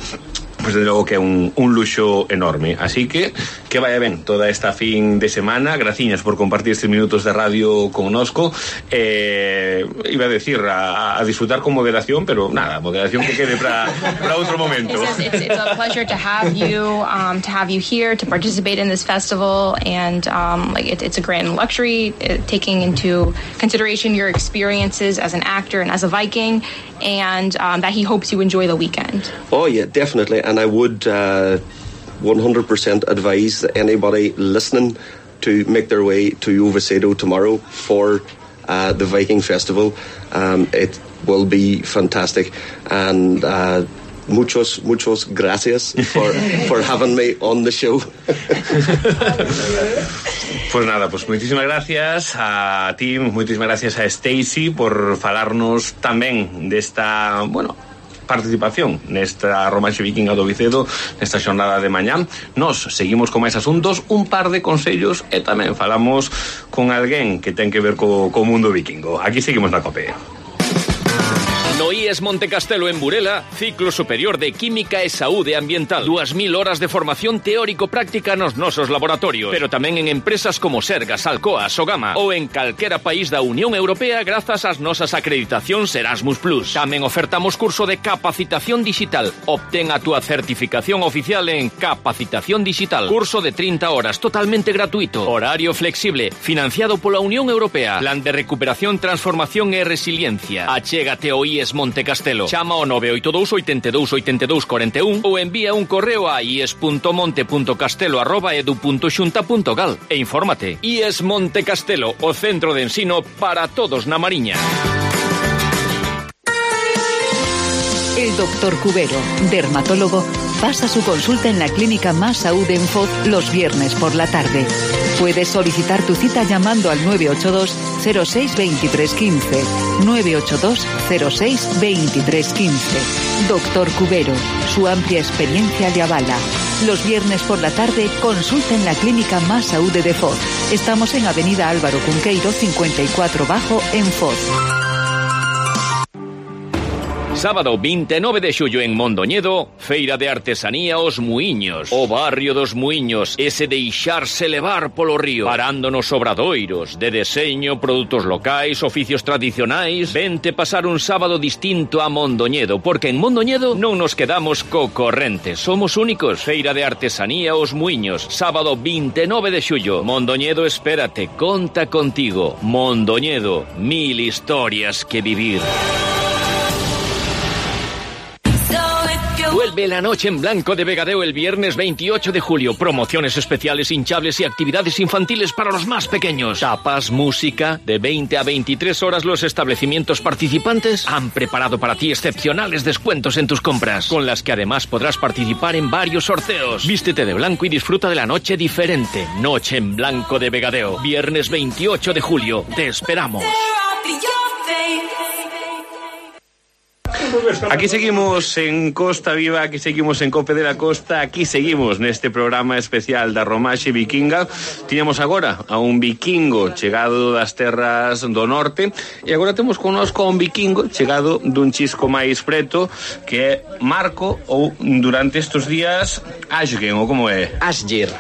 Pues desde logo que é un luxo enorme. Así que vaya ben toda esta fin de semana. Graciñas por compartir estes minutos de radio connosco. Iba a decir a disfrutar con moderación, pero nada, moderación que quede para outro momento. It's a pleasure to have you here to participate in this festival, and it's a grand luxury, taking into consideration your experiences as an actor and as a Viking, and that he hopes you enjoy the weekend. Oh yeah, definitely. And I would 100% advise anybody listening to make their way to Oviedo tomorrow for the Viking Festival. It will be fantastic, and muchos gracias for having me on the show. Pues nada, pues muchísimas gracias a Tim, muchísimas gracias a Stacey por falarnos tamén desta, participación nesta Romanxe Vikinga do Vicedo, nesta xornada de mañá. Nos seguimos con máis asuntos, un par de consellos, e tamén falamos con alguén que ten que ver co mundo vikingo. Aquí seguimos na COPE. No IES Montecastelo en Burela, ciclo superior de Química e Saúde Ambiental. 2000 horas de formación teórico-práctica nos nosos laboratorios, pero tamén en empresas como Sergas, Alcoa, Sogama ou en calquera país da Unión Europea grazas ás nosas acreditacións Erasmus+. Tamén ofertamos curso de capacitación digital. Obtén a túa certificación oficial en Capacitación Digital. Curso de 30 horas, totalmente gratuito. Horario flexible, financiado pola Unión Europea. Plan de recuperación, transformación e resiliencia. Achégate ao IES Montecastelo. Chama ao 982 82 82 41 ou envía un correo a ies.monte.castelo@edu.xunta.gal e infórmate. IES Montecastelo, o centro de ensino para todos na Mariña. El doctor Cubero, dermatólogo, pasa su consulta en la Clínica Más Saúde en Foz los viernes por la tarde. Puedes solicitar tu cita llamando al 982 06 23 15. 982 06 23 15. Doctor Cubero, su amplia experiencia le avala. Los viernes por la tarde, consulta en la Clínica Más Saúde de Foz. Estamos en Avenida Álvaro Cunqueiro 54 Bajo en Foz. Sábado 29 de xullo en Mondoñedo, Feira de Artesanía Os Muiños. O barrio dos Muiños, ese deixarse levar polo río, parando nos obradoiros de deseño, produtos locais, oficios tradicionais. Vente pasar un sábado distinto a Mondoñedo, porque en Mondoñedo non nos quedamos co corrente, somos únicos. Feira de Artesanía Os Muiños, sábado 29 de xullo. Mondoñedo, espérate, conta contigo. Mondoñedo, 1000 historias que vivir. Vuelve la noche en blanco de Vegadeo el viernes 28 de julio. Promociones especiales, hinchables y actividades infantiles para los más pequeños. Tapas, música. De 20 a 23 horas los establecimientos participantes han preparado para ti excepcionales descuentos en tus compras, con las que además podrás participar en varios sorteos. Vístete de blanco y disfruta de la noche diferente. Noche en blanco de Vegadeo. Viernes 28 de julio. Te esperamos. Aquí seguimos en Costa Viva, aquí seguimos en Cope de la Costa, aquí seguimos neste programa especial da Romaxe Vikinga. Tiñamos agora a un vikingo chegado das terras do norte e agora temos connosco a un vikingo chegado dun chisco máis preto que é Marco, ou durante estes días Asgen, ou como é? Asger,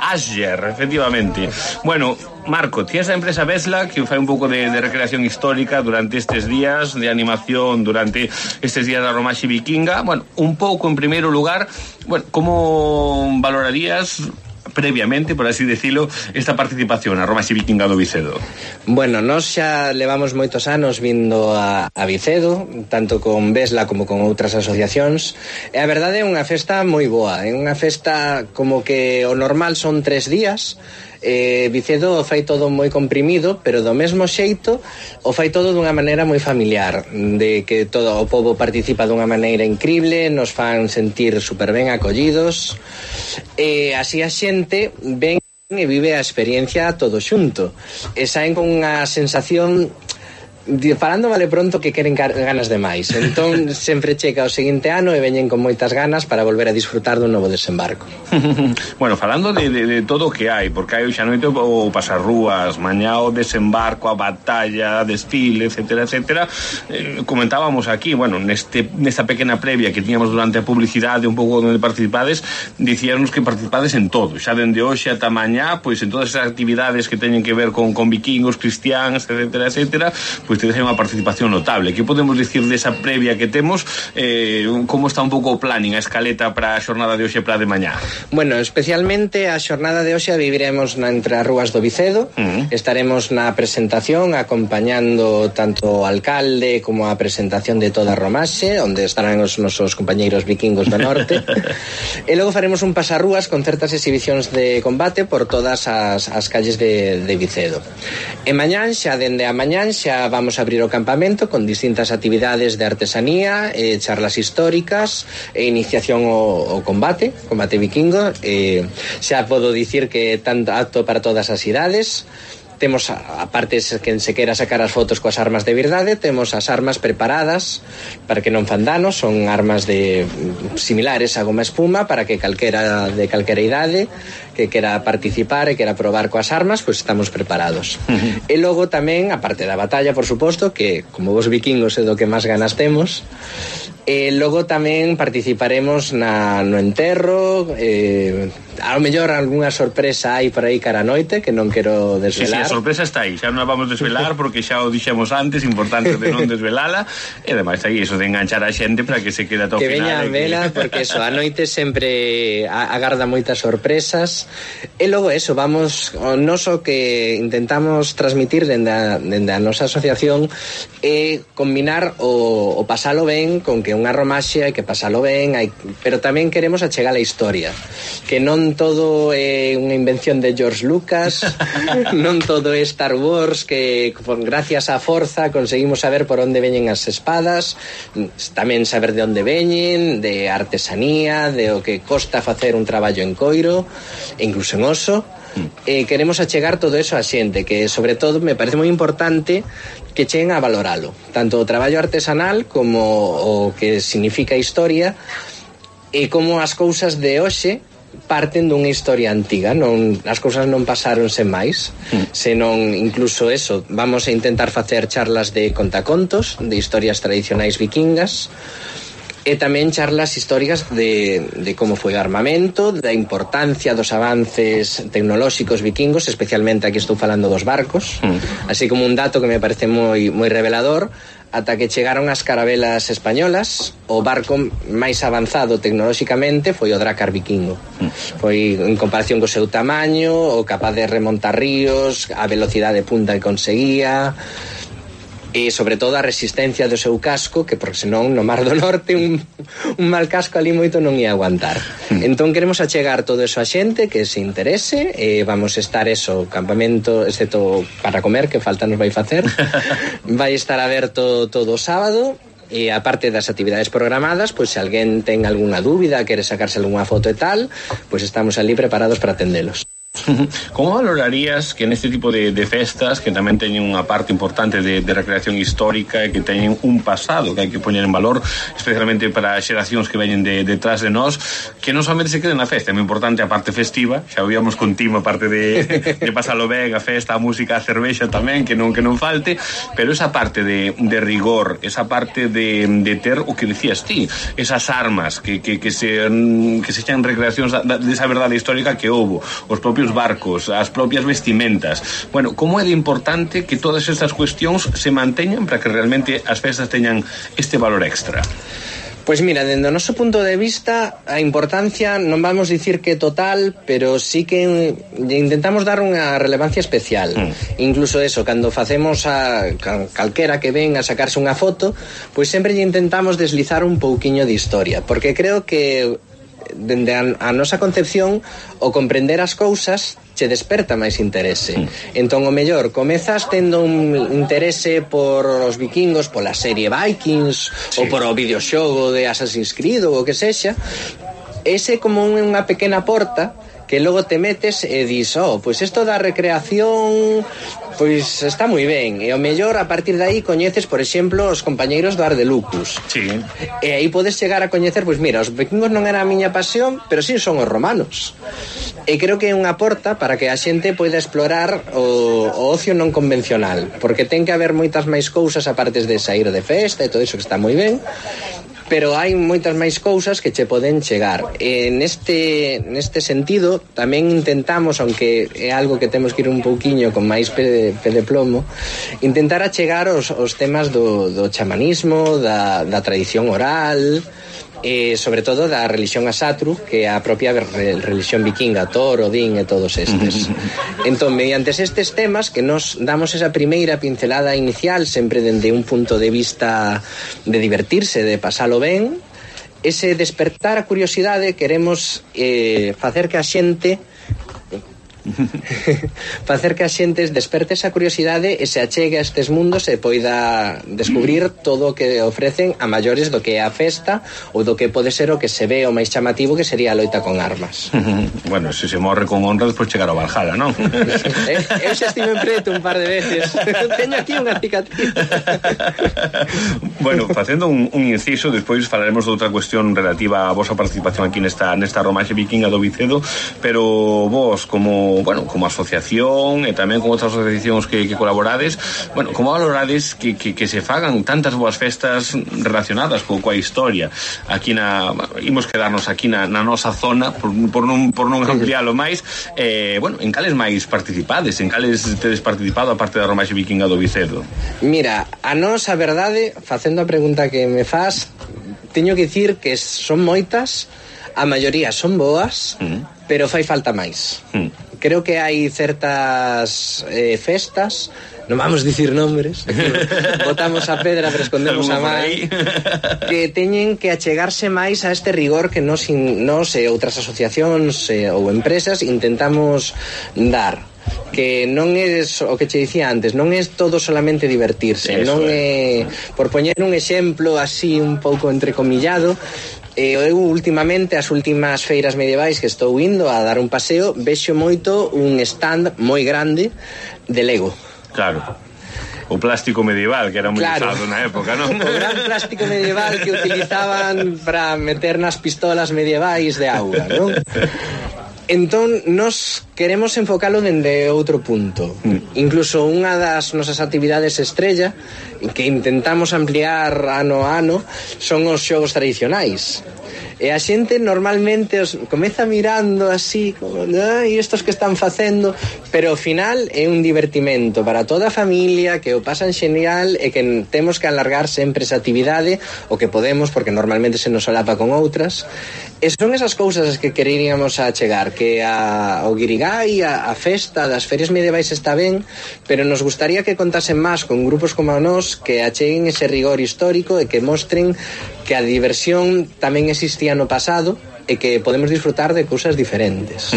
efectivamente. Bueno, Marco, tienes a empresa Vesla que fai un pouco de recreación histórica durante estes días, de animación durante estes días da Romaxe Vikinga. Bueno, un pouco en primeiro lugar, bueno, como valorarías previamente, por así decirlo, esta participación a Romaxe Vikinga do Vicedo? Bueno, nós xa levamos moitos anos vindo a Vicedo, tanto con Vesla como con outras asociacións, e a verdade é unha festa moi boa, é unha festa como que o normal son 3 días. Vicedo fai todo moi comprimido, pero do mesmo xeito o fai todo dunha maneira moi familiar, de que todo o pobo participa dunha maneira increíble, nos fan sentir super ben acollidos, e así a xente ven e vive a experiencia todo xunto, e saen con unha sensación falando vale pronto que queren ganas de máis. Entón sempre chega o seguinte ano e veñen con moitas ganas para volver a disfrutar dun novo desembarco. Bueno, falando de todo o que hai, porque hai xa noite o pasarrúas, mañá o desembarco, a batalla, desfile, etcétera, etcétera. Comentábamos aquí, bueno, nesta pequena previa que tiñamos durante a publicidade, un pouco onde participades, dicíanos que participades en todo, xa dende hoxe ata mañá, pois en todas esas actividades que teñen que ver con vikingos, cristiáns, etcétera, etcétera, pois tedes unha participación notable. Que podemos dicir desa previa que temos? Como está un pouco o planning, a escaleta para a xornada de hoxe e para a de mañá? Bueno, especialmente a xornada de hoxe a viviremos entre as rúas do Vicedo. Estaremos na presentación acompañando tanto o alcalde como a presentación de toda a Romaxe, onde estarán os nosos compañeiros vikingos do norte. E logo faremos un pasarrúas con certas exhibicións de combate por todas as calles de Vicedo. E mañán, xa dende a mañán, xa vamos a abrir o campamento con distintas actividades de artesanía, charlas históricas e iniciación ao combate vikingo. Xa podo dicir que tanto apto para todas as idades. Temos, aparte, quen se quera sacar as fotos coas armas de verdade, temos as armas preparadas para que non fan danos, son armas similares a goma espuma, para que calquera de calquera idade que quera participar e quera probar coas armas, pois estamos preparados. E logo tamén, aparte da batalla, por suposto, que como vos vikingos é do que máis ganas temos, e logo tamén participaremos no enterro, ao mellor algunha sorpresa hai por aí cara a noite que non quero desvelar. Sí, a sorpresa está aí, xa non a vamos desvelar porque xa o dixemos antes, importante de non desvelala, e ademais aí iso de enganchar a xente para que se quede ata o final. Que veña a vela, porque eso, a noite sempre agarda moitas sorpresas, e logo eso, vamos, o noso que intentamos transmitir dende a nosa asociación é combinar o pasalo ben con que unha romaxe hai que pasalo ben, pero tamén queremos achegar a historia, que non todo é unha invención de George Lucas, non todo é Star Wars, que gracias á forza conseguimos saber por onde veñen as espadas, tamén saber de onde veñen, de artesanía, de o que costa facer un traballo en coiro, e incluso en oso. Queremos achegar todo eso a xente, que sobre todo me parece moi importante que cheguen a valoralo, tanto o traballo artesanal como o que significa historia, e como as cousas de hoxe parten dunha historia antiga, as cousas non pasaron sen máis, senón incluso eso, vamos a intentar facer charlas de contacontos, de historias tradicionais vikingas, e tamén charlas históricas de como foi o armamento, da importancia dos avances tecnolóxicos vikingos, especialmente aquí estou falando dos barcos, así como un dato que me parece moi revelador. Ata que chegaron as carabelas españolas, o barco máis avanzado tecnolóxicamente foi o Drakkar vikingo. Foi, en comparación co seu tamaño, o capaz de remontar ríos, a velocidade punta que conseguía. e sobre todo a resistencia do seu casco, que porque senón no Mar do Norte un mal casco ali moito non ia aguantar. Entón queremos achegar todo eso a xente que se interese, vamos estar campamento, excepto para comer, que falta nos vai facer, vai estar aberto todo o sábado. E aparte das actividades programadas, pois se alguén ten algunha dúbida, quere sacarse algunha foto e tal, pois estamos ali preparados para atendelos. Como valorarías que neste tipo de festas, que tamén teñen unha parte importante de recreación histórica e que teñen un pasado que hai que poñer en valor, especialmente para xeracións que veñen detrás de nós, que non somente se queden na festa, é moi importante a parte festiva, xa víamos contigo a parte de pasalo ben, a festa, a música, a cervexa tamén, que non falte, pero esa parte de rigor, esa parte de ter o que decías ti, esas armas que se xan recreacións desa verdade histórica que houbo, os propios barcos, as propias vestimentas. Bueno, como é de importante que todas estas cuestións se manteñan para que realmente as festas teñan este valor extra? Pois mira, dende o noso punto de vista, a importancia non vamos dicir que total, pero sí que intentamos dar unha relevancia especial. Incluso eso, cando facemos a calquera que ven a sacarse unha foto, pois sempre lle intentamos deslizar un pouquiño de historia, porque creo que dende a nosa concepción o comprender as cousas che desperta máis interese. Entón o mellor comezas tendo un interese por os vikingos, pola serie Vikings, ou por o videoxogo de Assassin's Creed ou o que sexa, ese como unha pequena porta que logo te metes e dis, pois isto da recreación pois está moi ben, e o mellor a partir de aí coñeces, por exemplo, os compañeiros do Ardelucus. Sí. E aí podes chegar a coñecer, pois mira, os vikingos non era a miña pasión, pero sí son os romanos. E creo que é unha porta para que a xente poida explorar o ocio non convencional, porque ten que haber moitas máis cousas aparte de sair de festa e todo iso que está moi ben, pero hai moitas máis cousas que che poden chegar. E neste sentido tamén intentamos, aunque é algo que temos que ir un pouquiño con máis pé de plomo, intentar achegar os temas do chamanismo, da tradición oral, e sobre todo da religión Asatru, que é a propia religión vikinga, Thor, Odín e todos estes. Entón, mediante estes temas que nos damos esa primeira pincelada inicial, sempre dende un punto de vista de divertirse, de pasalo ben, ese despertar a curiosidade, queremos facer que a xente desperte esa curiosidade e se achegue a estes mundos e poida descubrir todo o que ofrecen a maiores do que é a festa ou do que pode ser o que se ve o máis chamativo, que sería a loita con armas. Bueno, se morre con honra, despois chegar ao Valhalla, non? Eu xa estive en preto un par de veces. Teño aquí unha cicatriz. Bueno, facendo un inciso, despois falaremos de outra cuestión relativa a vosa participación aquí nesta romaxe vikinga do Vicedo, pero vos como asociación e tamén con outras asociacións que colaborades, bueno, como valorades que se fagan tantas boas festas relacionadas coa historia aquí imos quedarnos aquí na nosa zona por non ampliálo máis, bueno, en cales máis participades, en cales tedes participado a parte da romaxe vikinga do Vicedo? Mira, a nosa verdade, facendo a pregunta que me faz, teño que dicir que son moitas, a maioría son boas, pero fai falta máis. Creo que hai certas festas, non vamos dicir nombres, botamos a pedra pero escondemos a man, que teñen que achegarse máis a este rigor que nos e outras asociacións ou empresas intentamos dar, que non é o que che dicía antes, non é todo solamente divertirse, non é, por poñer un exemplo así un pouco entrecomillado, eu últimamente, as últimas feiras medievais que estou indo a dar un paseo, vexo moito un stand moi grande de Lego. Claro. O plástico medieval, que era moi usado na época, non? O gran plástico medieval que utilizaban para meter nas pistolas medievais de auga, non? Entón, nos queremos enfocalo dende outro punto. Incluso unha das nosas actividades estrella, que intentamos ampliar ano a ano, son os xogos tradicionais. E a xente normalmente os comeza mirando así, como, e estos que están facendo, pero ao final é un divertimento para toda a familia, que o pasan xenial e que temos que alargar sempre esa actividade o que podemos, porque normalmente se nos solapa con outras. E son esas cousas as que queríamos achegar, que o guirigay, a festa das ferias medievais está ben, pero nos gustaría que contasen máis con grupos como nós, que acheguen ese rigor histórico e que mostren que a diversión tamén existía no pasado e que podemos disfrutar de cousas diferentes.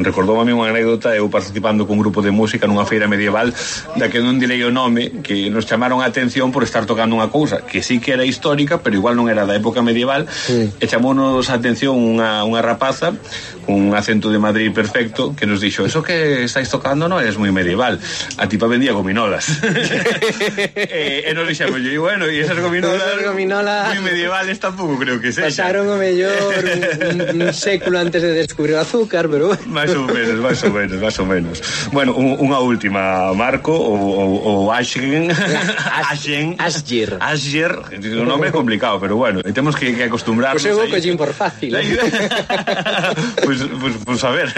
Recordou a mí unha anécdota, eu participando cun grupo de música nunha feira medieval, da que non direi o nome, que nos chamaron a atención por estar tocando unha cousa que sí que era histórica, pero igual non era da época medieval, e chamounos a atención unha rapaza un acento de Madrid perfecto, que nos dixo: eso que estáis tocando non é moi medieval, a tipa vendía gominolas. E nos dixemos, e bueno, e esas gominolas moi medievales tampouco creo que sexa. Pasaron o mellor un século antes de descubrir o azúcar, pero máis ou menos. Bueno, unha última, Marco, o Asger, un nome complicado, pero bueno, temos que acostumbrarnos. Pois eu vou collín por fácil. Pues a ver.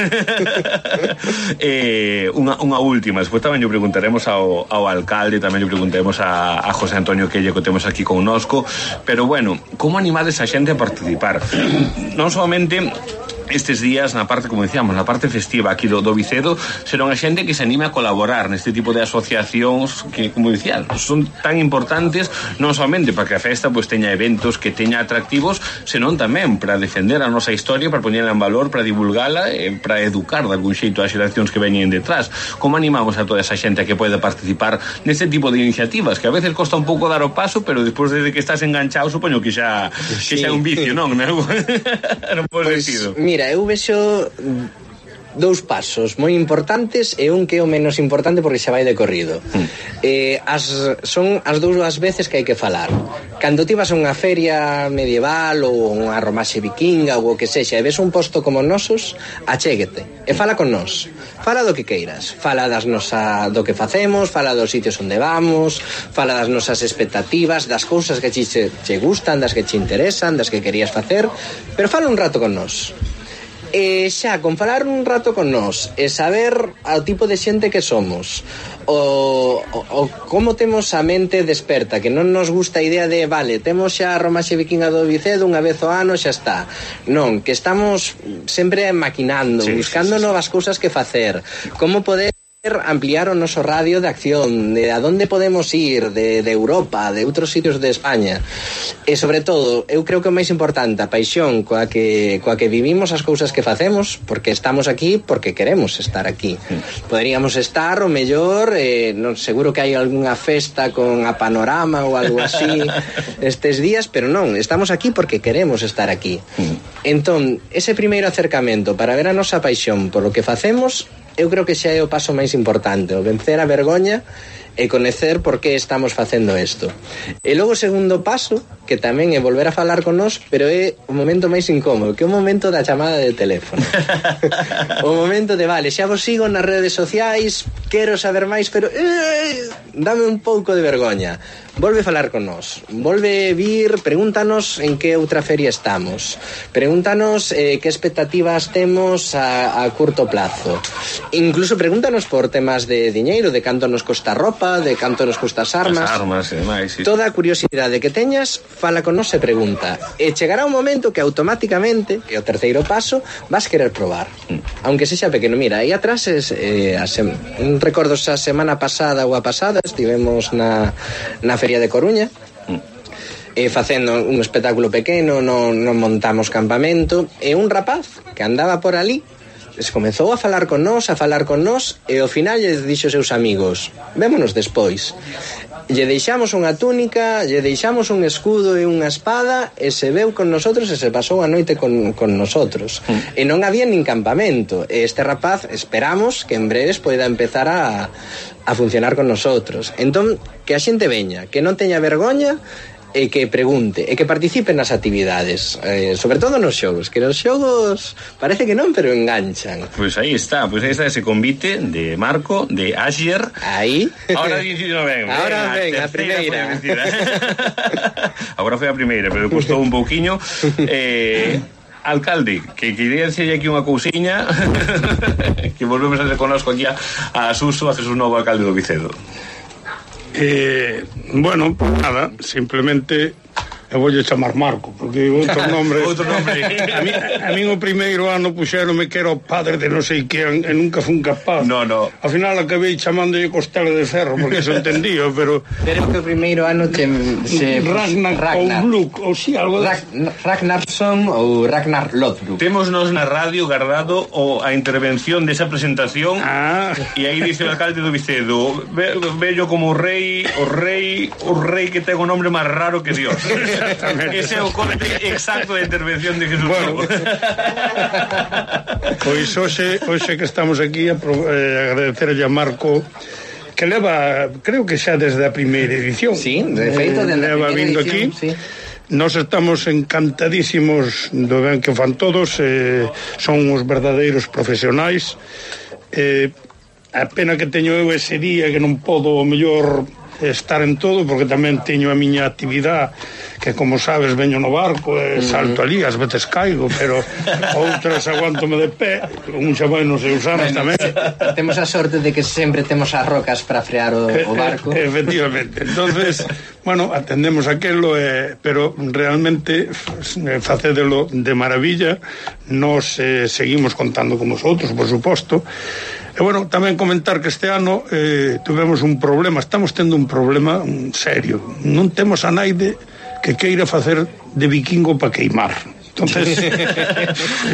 Unha última, despois tamén lle preguntaremos ao alcalde, tamén lle preguntaremos a José Antonio Quelle, que temos aquí connosco, pero bueno, como animades a xente a participar? Non solamente estes días na parte, como dicíamos, na parte festiva aquí do Vicedo, será unha xente que se anime a colaborar neste tipo de asociacións que, como dicía, son tan importantes non somente para que a festa pues teña eventos, que teña atractivos, senón tamén para defender a nosa historia, para poñerla en valor, para divulgala, para educar de algún xeito as xeracións que veñen detrás. Como animamos a toda esa xente a que poida participar neste tipo de iniciativas, que a veces costa un pouco dar o paso, pero despois de que estás enganchado, supoño que xa é un vicio, non? Non pode sentido. Mira, eu vexo dous pasos moi importantes e un que é o menos importante porque xa vai de corrido. Son as dúas veces que hai que falar. Cando ti vas a unha feria medieval ou unha romaxe vikinga ou o que sexa e ves un posto como nosos, achéguete e fala con nós. Fala do que queiras, fala do que facemos, fala dos sitios onde vamos, fala das nosas expectativas, das cousas que che gustan, das que che interesan, das que querías facer, pero fala un rato con nós. E xa, con falar un rato con nós e saber o tipo de xente que somos, o como temos a mente desperta, que non nos gusta a idea de, vale, temos xa a romaxe vikinga do Vicedo unha vez ao ano, xa está. Non, que estamos sempre maquinando, buscando novas cousas que facer, como poder ampliar o noso radio de acción, de a donde podemos ir, de Europa, de outros sitios de España. E sobre todo, eu creo que o máis importante, a paixón coa que vivimos as cousas que facemos, porque estamos aquí porque queremos estar aquí. Poderíamos estar o mellor, non seguro que hai algunha festa con a Panorama ou algo así estes días, pero non, estamos aquí porque queremos estar aquí. Entón, ese primeiro acercamento para ver a nosa paixón por o que facemos, eu creo que xa é o paso máis importante, o vencer a vergoña e coñecer por que estamos facendo isto. E logo o segundo paso, que tamén é volver a falar con nós, pero é o momento máis incómodo, que é o momento da chamada de teléfono. O momento de, vale, xa vos sigo nas redes sociais, quero saber máis, pero dame un pouco de vergoña. Volve a falar con nós, volve vir, pregúntanos en que outra feria estamos, pregúntanos que expectativas temos a curto plazo, incluso pregúntanos por temas de diñeiro, de canto nos costa roupa, de canto nos costa as armas e demais, sí. Toda a curiosidade que teñas, fala con nós e pregunta, e chegará un momento que automáticamente, que é o terceiro paso, vas querer probar, aunque sexa pequeno. Mira, aí atrás recordo a semana pasada ou a pasada estivemos na Feria de Coruña, facendo un espectáculo pequeno, non montamos campamento, e un rapaz que andaba por ali comezou a falar con nós, e ao final lle dixo aos seus amigos, vémonos despois. Lle deixamos unha túnica, lle deixamos un escudo e unha espada, e se veu con nosotros e se pasou a noite con nosotros. E non había nin campamento, e este rapaz esperamos que en breves poida empezar a funcionar con nosotros. Entón, que a xente veña, que non teña vergoña, e que pregunte, e que participe nas actividades, sobre todo nos xogos, que nos xogos parece que non, pero enganchan. Pois aí está ese convite de Marco, de Asher. Aí. Ahora ven. Ahora ven, a primeira. Agora foi a primeira, pero custou un pouquiño. Alcalde, que quería decirle aquí unha cousiña que volvemos a reconozco aquí a Suso, a Jesús Novo, alcalde do Vicedo. Bueno, nada, simplemente eu voulle chamar Marco, porque outro nombre a mí o primeiro ano puxéronme que era o padre de non sei quen e nunca fun capaz. No. Ao final acabei chamándolle Costela de Ferro porque se entendía, pero que o primeiro ano Ragnar ou Bluk, ou si algo Ragnarsson ou Ragnar Lodbrok. Témonos na radio guardado a intervención desa presentación e aí dice o alcalde do Vicedo, bello como o rei que ten o nombre máis raro que Dios. Ese é o corte exacto da intervención de Jesús Novo. Pois hoxe que estamos aquí agradecerlle a Marco, que leva, creo que xa desde a primeira edición. Sí, de feito leva vindo aquí. Sí. Nos estamos encantadísimos do ben que fan todos, son os verdadeiros profesionais. A pena que teño eu ese día que non podo o mellor estar en todo, porque tamén teño a miña actividade, que como sabes veño no barco e salto ali, ás veces caigo, pero outras aguántome de pé, un xa vai nos seus anos tamén. Temos a sorte de que sempre temos as rocas para frear o barco. Efectivamente. Entonces, bueno, atendemos aquelo, pero realmente facédelo de maravilla. Nos seguimos contando con vosotros, por suposto. E bueno, tamén comentar que este ano tuvemos un problema, estamos tendo un problema serio. Non temos a naide que queira facer de vikingo para queimar. Entonces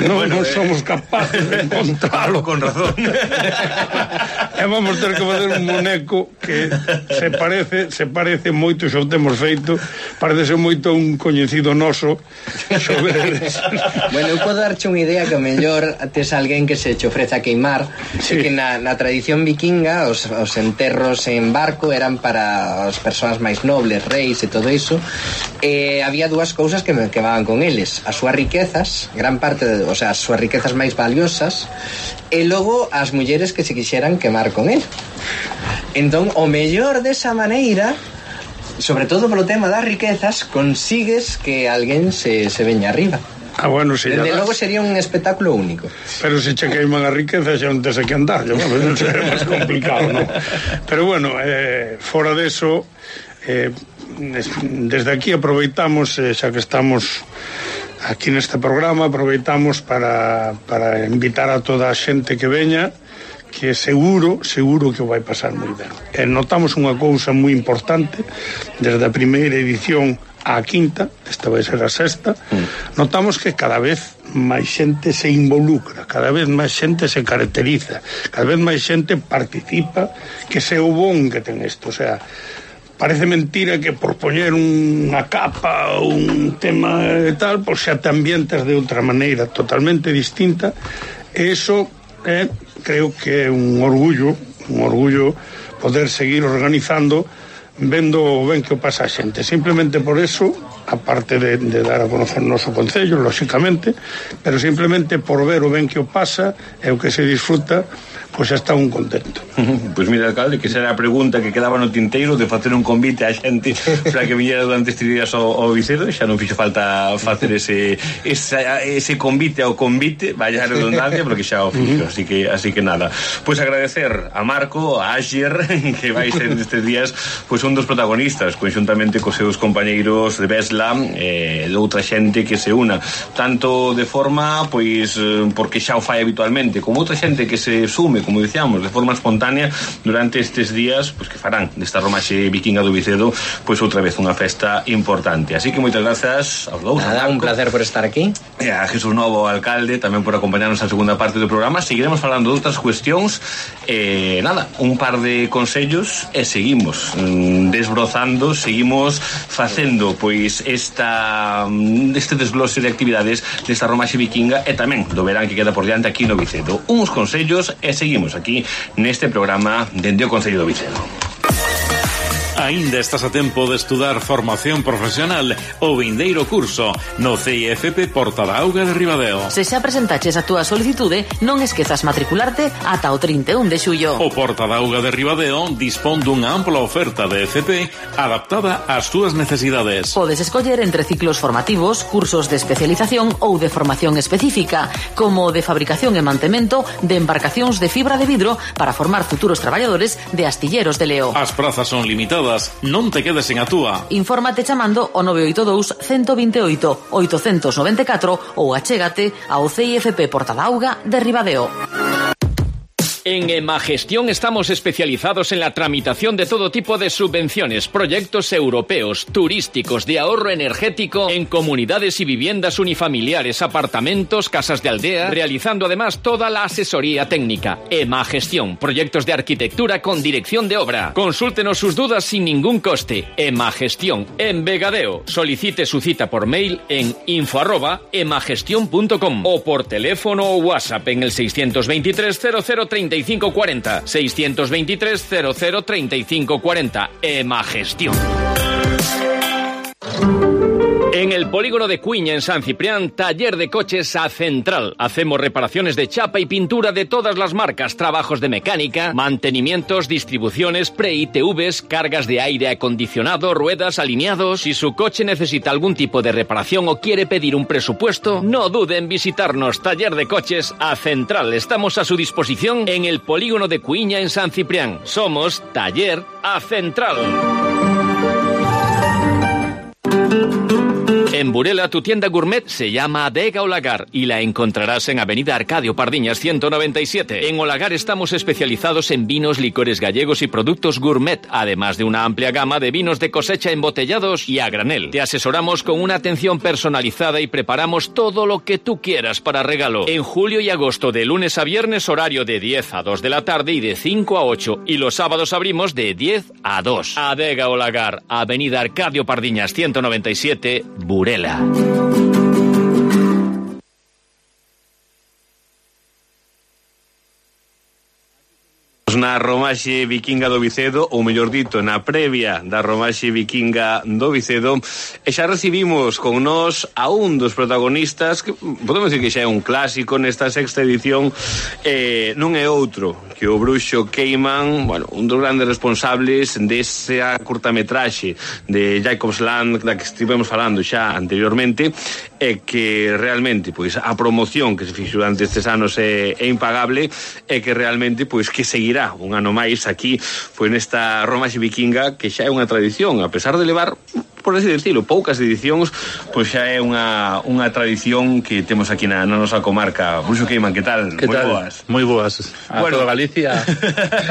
non somos capaces de encontralo. Con razón. E vamos ter que facer un muñeco que se parece moito, xa o temos feito, parece moito un coñecido noso. Bueno, eu podo darche unha idea que o mellor tes alguén que se che ofrece a queimar, que na tradición vikinga os enterros en barco eran para as persoas máis nobles, reis e todo iso, e había dúas cousas que van con eles: as súas riquezas, gran parte as súas riquezas máis valiosas, e logo as mulleres que se quixeran quemar con él. Entón, o mellor desa maneira, sobre todo polo tema das riquezas, consigues que alguén se veña arriba. Bueno, si desde logo sería un espectáculo único. Pero se che queiman a riqueza xa non tes a que andar, non será máis complicado, non? Pero bueno, fora deso, desde aquí aproveitamos, xa que estamos aquí neste programa, aproveitamos para invitar a toda a xente que veña, que seguro que vai pasar moi ben. Notamos unha cousa moi importante desde a primeira edición á quinta, esta vai ser a sexta. Notamos que cada vez máis xente se involucra, cada vez máis xente se caracteriza, cada vez máis xente participa, que se o bon que ten isto. O sea, parece mentira que por poñer unha capa ou un tema e tal, pois xa te ambientas de outra maneira totalmente distinta. E iso creo que é un orgullo poder seguir organizando, vendo o ben que o pasa a xente. Simplemente por eso, aparte de dar a conocer o noso concello, lóxicamente, pero simplemente por ver o ben que o pasa e o que se disfruta, pois xa está un contento. Pois mira, alcalde, que será a pregunta que quedaba no tinteiro de facer un convite a xente para que viñera durante estes días ao Vicedo. Xa non fixo falta facer ese convite ao convite, vaya a redundancia, porque xa o fixo, así que nada. Pois agradecer a Marco, a Asher, que vai ser nestes días pois un dos protagonistas, conxuntamente cos seus compañeiros de Vesla e de outra xente que se una, tanto de forma, pois, porque xa o fai habitualmente, como outra xente que se sume, como dicíamos, de forma espontánea durante estes días, pois que farán desta romaxe vikinga do Vicedo pois outra vez unha festa importante. Así que moitas grazas aos dous. Nada, un placer por estar aquí. E a Jesús Novo, alcalde, tamén por acompañarnos na segunda parte do programa. Seguiremos falando de outras cuestións, nada, un par de consellos e seguimos desbrozando, seguimos facendo pois este desglose de actividades desta romaxe vikinga e tamén do verán que queda por diante aquí no Vicedo. Uns consellos e seguimos aquí neste programa dende o Concello do Vicedo. Aínda estás a tempo de estudar formación profesional o vindeiro curso no CIFP Porta da Auga de Ribadeo. Se xa presentaches a túa solicitude, non esquezas matricularte ata o 31 de xullo. O Porta da Auga de Ribadeo dispón dunha ampla oferta de FP adaptada ás túas necesidades. Podes escoller entre ciclos formativos, cursos de especialización ou de formación específica, como de fabricación e mantemento de embarcacións de fibra de vidro para formar futuros traballadores de astilleros de Leo. As prazas son limitadas. Non te quedes sen a túa. Infórmate chamando ao 982 128 894 ou achégate ao CIFP Porta da Auga de Ribadeo. En Emagestión estamos especializados en la tramitación de todo tipo de subvenciones, proyectos europeos, turísticos, de ahorro energético, en comunidades y viviendas unifamiliares, apartamentos, casas de aldea, realizando además toda la asesoría técnica. Emagestión, proyectos de arquitectura con dirección de obra. Consúltenos sus dudas sin ningún coste. Emagestión, en Vegadeo. Solicite su cita por mail en info@emagestion.com o por teléfono o WhatsApp en el 623 003540. 623 003540. Emagestión. En el polígono de Cuiña, en San Ciprián, taller de coches A Central. Hacemos reparaciones de chapa y pintura de todas las marcas, trabajos de mecánica, mantenimientos, distribuciones, pre-ITVs, cargas de aire acondicionado, ruedas, alineados. Si su coche necesita algún tipo de reparación o quiere pedir un presupuesto, no dude en visitarnos. Taller de coches A Central. Estamos a su disposición en el polígono de Cuiña, en San Ciprián. Somos Taller A Central. En Burela, tu tienda gourmet se llama Adega Olagar y la encontrarás en Avenida Arcadio Pardiñas 197. En Olagar estamos especializados en vinos, licores gallegos y productos gourmet, además de una amplia gama de vinos de cosecha embotellados y a granel. Te asesoramos con una atención personalizada y preparamos todo lo que tú quieras para regalo. En julio y agosto, de lunes a viernes, horario de 10 a 2 de la tarde y de 5 a 8. Y los sábados abrimos de 10 a 2. Adega Olagar, Avenida Arcadio Pardiñas 197, Burela. Na romaxe vikinga do Vicedo, ou mellor dito, na previa da romaxe vikinga do Vicedo, e xa recibimos con nós a un dos protagonistas que podemos decir que xa é un clásico nesta sexta edición, non é outro que o Bruxo Cayman, bueno, un dos grandes responsables desa curtametraxe de Jacob's Land da que estivemos falando xa anteriormente, e que realmente pois a promoción que se fixo durante estes anos é impagable, e que realmente pois que seguirá un ano máis aquí pois nesta romaxe vikinga, que xa é unha tradición, a pesar de levar, por así decirlo, poucas edicións, pois xa é unha tradición que temos aquí na nosa comarca. Bruxo Cayman, que tal? Que tal? Boas. Moi boas. A toda Galicia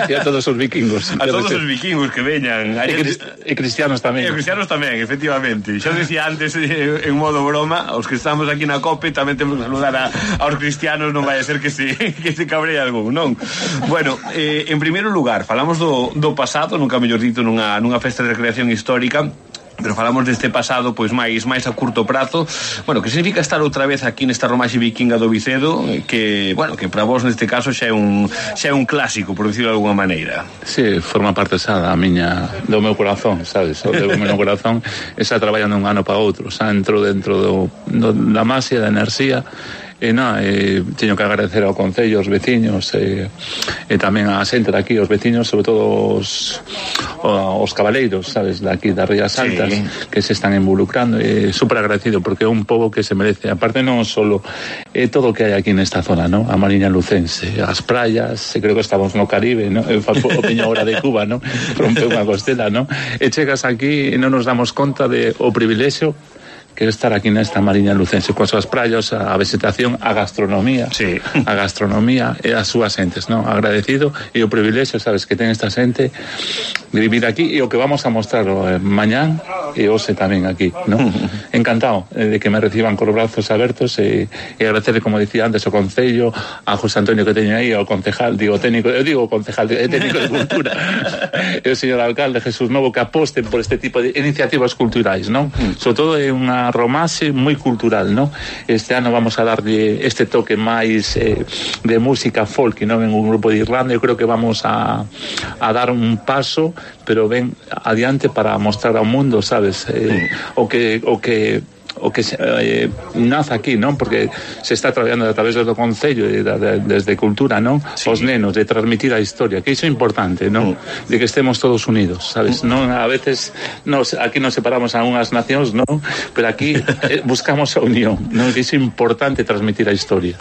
e a todos os vikingos. A todos os vikingos que veñan. E cristianos tamén. E cristianos tamén, efectivamente. Xa decía antes, en modo broma, os que estamos aquí na COPE tamén temos que saludar aos cristianos, non vai a ser que se cabree algún, non? Bueno, en primeiro lugar, falamos do pasado, nunca mellor dito, nunha festa de recreación histórica, pero falamos deste pasado pois máis a curto prazo. Bueno, que significa estar outra vez aquí nesta romaxe vikinga do Vicedo, que, bueno, que para vos neste caso xa é un clásico, por dicirlo de alguma maneira. Sí, forma parte xa do meu corazón, sabes? O do meu corazón está traballando un ano para outro, xa entro dentro da máxia, da enerxía. Teño que agradecer ao Concello, aos veciños e tamén a xente daqui, os veciños, sobre todo os cabaleiros, sabes, daqui das Rías Altas, sí, que se están involucrando, e super agradecido porque é un pobo que se merece, aparte non solo todo o que hai aquí nesta zona, ¿no? A Mariña Lucense, as praias, creo que estamos no Caribe, ¿no? O Peña Hora de Cuba, ¿no? Rompe unha costela, ¿no? E chegas aquí e non nos damos conta de o privilexio que estar aquí nesta Mariña Lucense, coas súas praias, a vegetación, a gastronomía, sí, a gastronomía e as súas xentes, ¿no? Agradecido e o privilexio, sabes, que ten esta xente de vivir aquí, e o que vamos a mostrar mañán e hoxe tamén aquí, ¿no? Encantado de que me reciban con os brazos abertos e agradecerle, como dicía antes, ao Concello, a José Antonio que teño aí, ao concejal, técnico de cultura, e o señor alcalde Jesús Novo, que aposten por este tipo de iniciativas culturais, ¿no? Sobre todo é unha unha romaxe moi cultural, ¿no? Este ano vamos a darlle este toque máis de música folk, non? En un grupo de Irlanda, eu creo que vamos a dar un paso, pero ben adiante para mostrar ao mundo, sabes? O que nace aquí, non? Porque se está traballando a través do Concello desde Cultura, non? Os nenos, de transmitir a historia, que iso é importante, non? De que estemos todos unidos, sabes? Non, a veces aquí nos separamos a unhas nacións, non? Pero aquí buscamos a unión, non? Que iso é importante, transmitir a historia.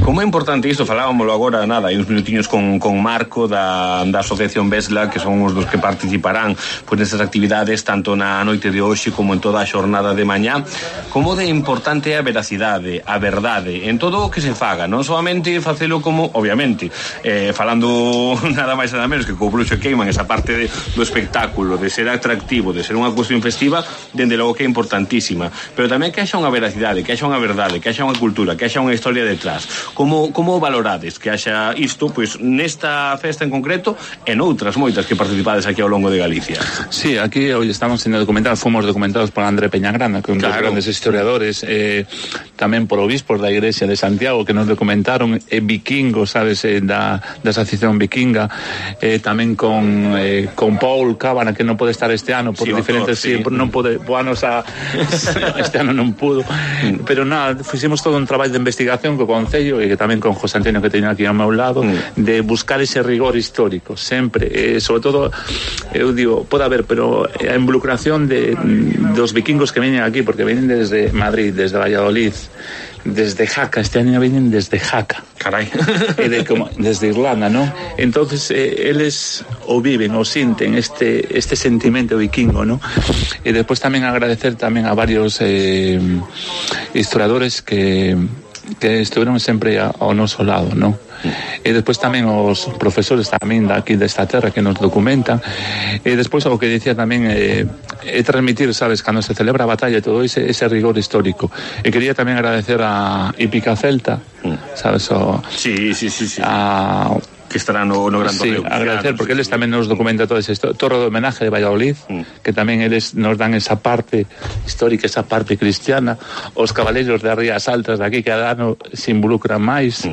Como é importante isto? Falábamoslo agora, nada, hai uns minutiños con Marco da Asociación Vesla, que son os dos que participarán pois nestas actividades, tanto na noite de hoxe como en toda a xornada de mañá. Como de importante é a veracidade, a verdade, en todo o que se faga, non soamente facelo como, obviamente, falando nada máis nada menos que co Bruxo e Queiman, esa parte do espectáculo, de ser atractivo, de ser unha cuestión festiva, dende logo que é importantísima, pero tamén que haxa unha veracidade, que haxa unha verdade, que haxa unha cultura, que haxa unha historia detrás. Como valorades que haxa isto, pois nesta festa en concreto e noutras moitas que participades aquí ao longo de Galicia? Sí, aquí hoy estamos sendo documentados, fomos documentados por André Peñagrana, que é un dos grandes historiadores, tamén por obispos da Igrexa de Santiago que nos documentaron, vikingos, sabes, da asociación vikinga, tamén con Paul Cábana, que non pode estar este ano por diferentes, non pode, este ano non pudo, pero nada, fixemos todo un traballo de investigación co Concello e tamén con José Antonio, que teño aquí ao meu lado, de buscar ese rigor histórico sempre, sobre todo, eu digo, pode haber, pero a involucración dos vikingos que veñen aquí, porque veñen desde Madrid, desde Valladolid, desde Jaca, este año vienen desde Jaca. Carai. Desde Irlanda, ¿no? Entonces, eles o viven, o sienten este sentimento vikingo, ¿no? Y después también agradecer también a varios historiadores que estuvieron sempre ao noso lado, ¿no? E despois tamén os profesores tamén daqui desta terra que nos documentan, e despois o que dicía tamén é transmitir, sabes, cando se celebra a batalla, todo ese rigor histórico. E quería tamén agradecer a Hípica Celta, sabes, que estará no Gran Torneo. Sí, agradecer, porque eles tamén nos documenta todo isto. Torre de homenaje de Valladolid, que tamén eles nos dan esa parte histórica, esa parte cristiana. Os cabaleiros de Rías Altas de aquí, que cada ano se involucran máis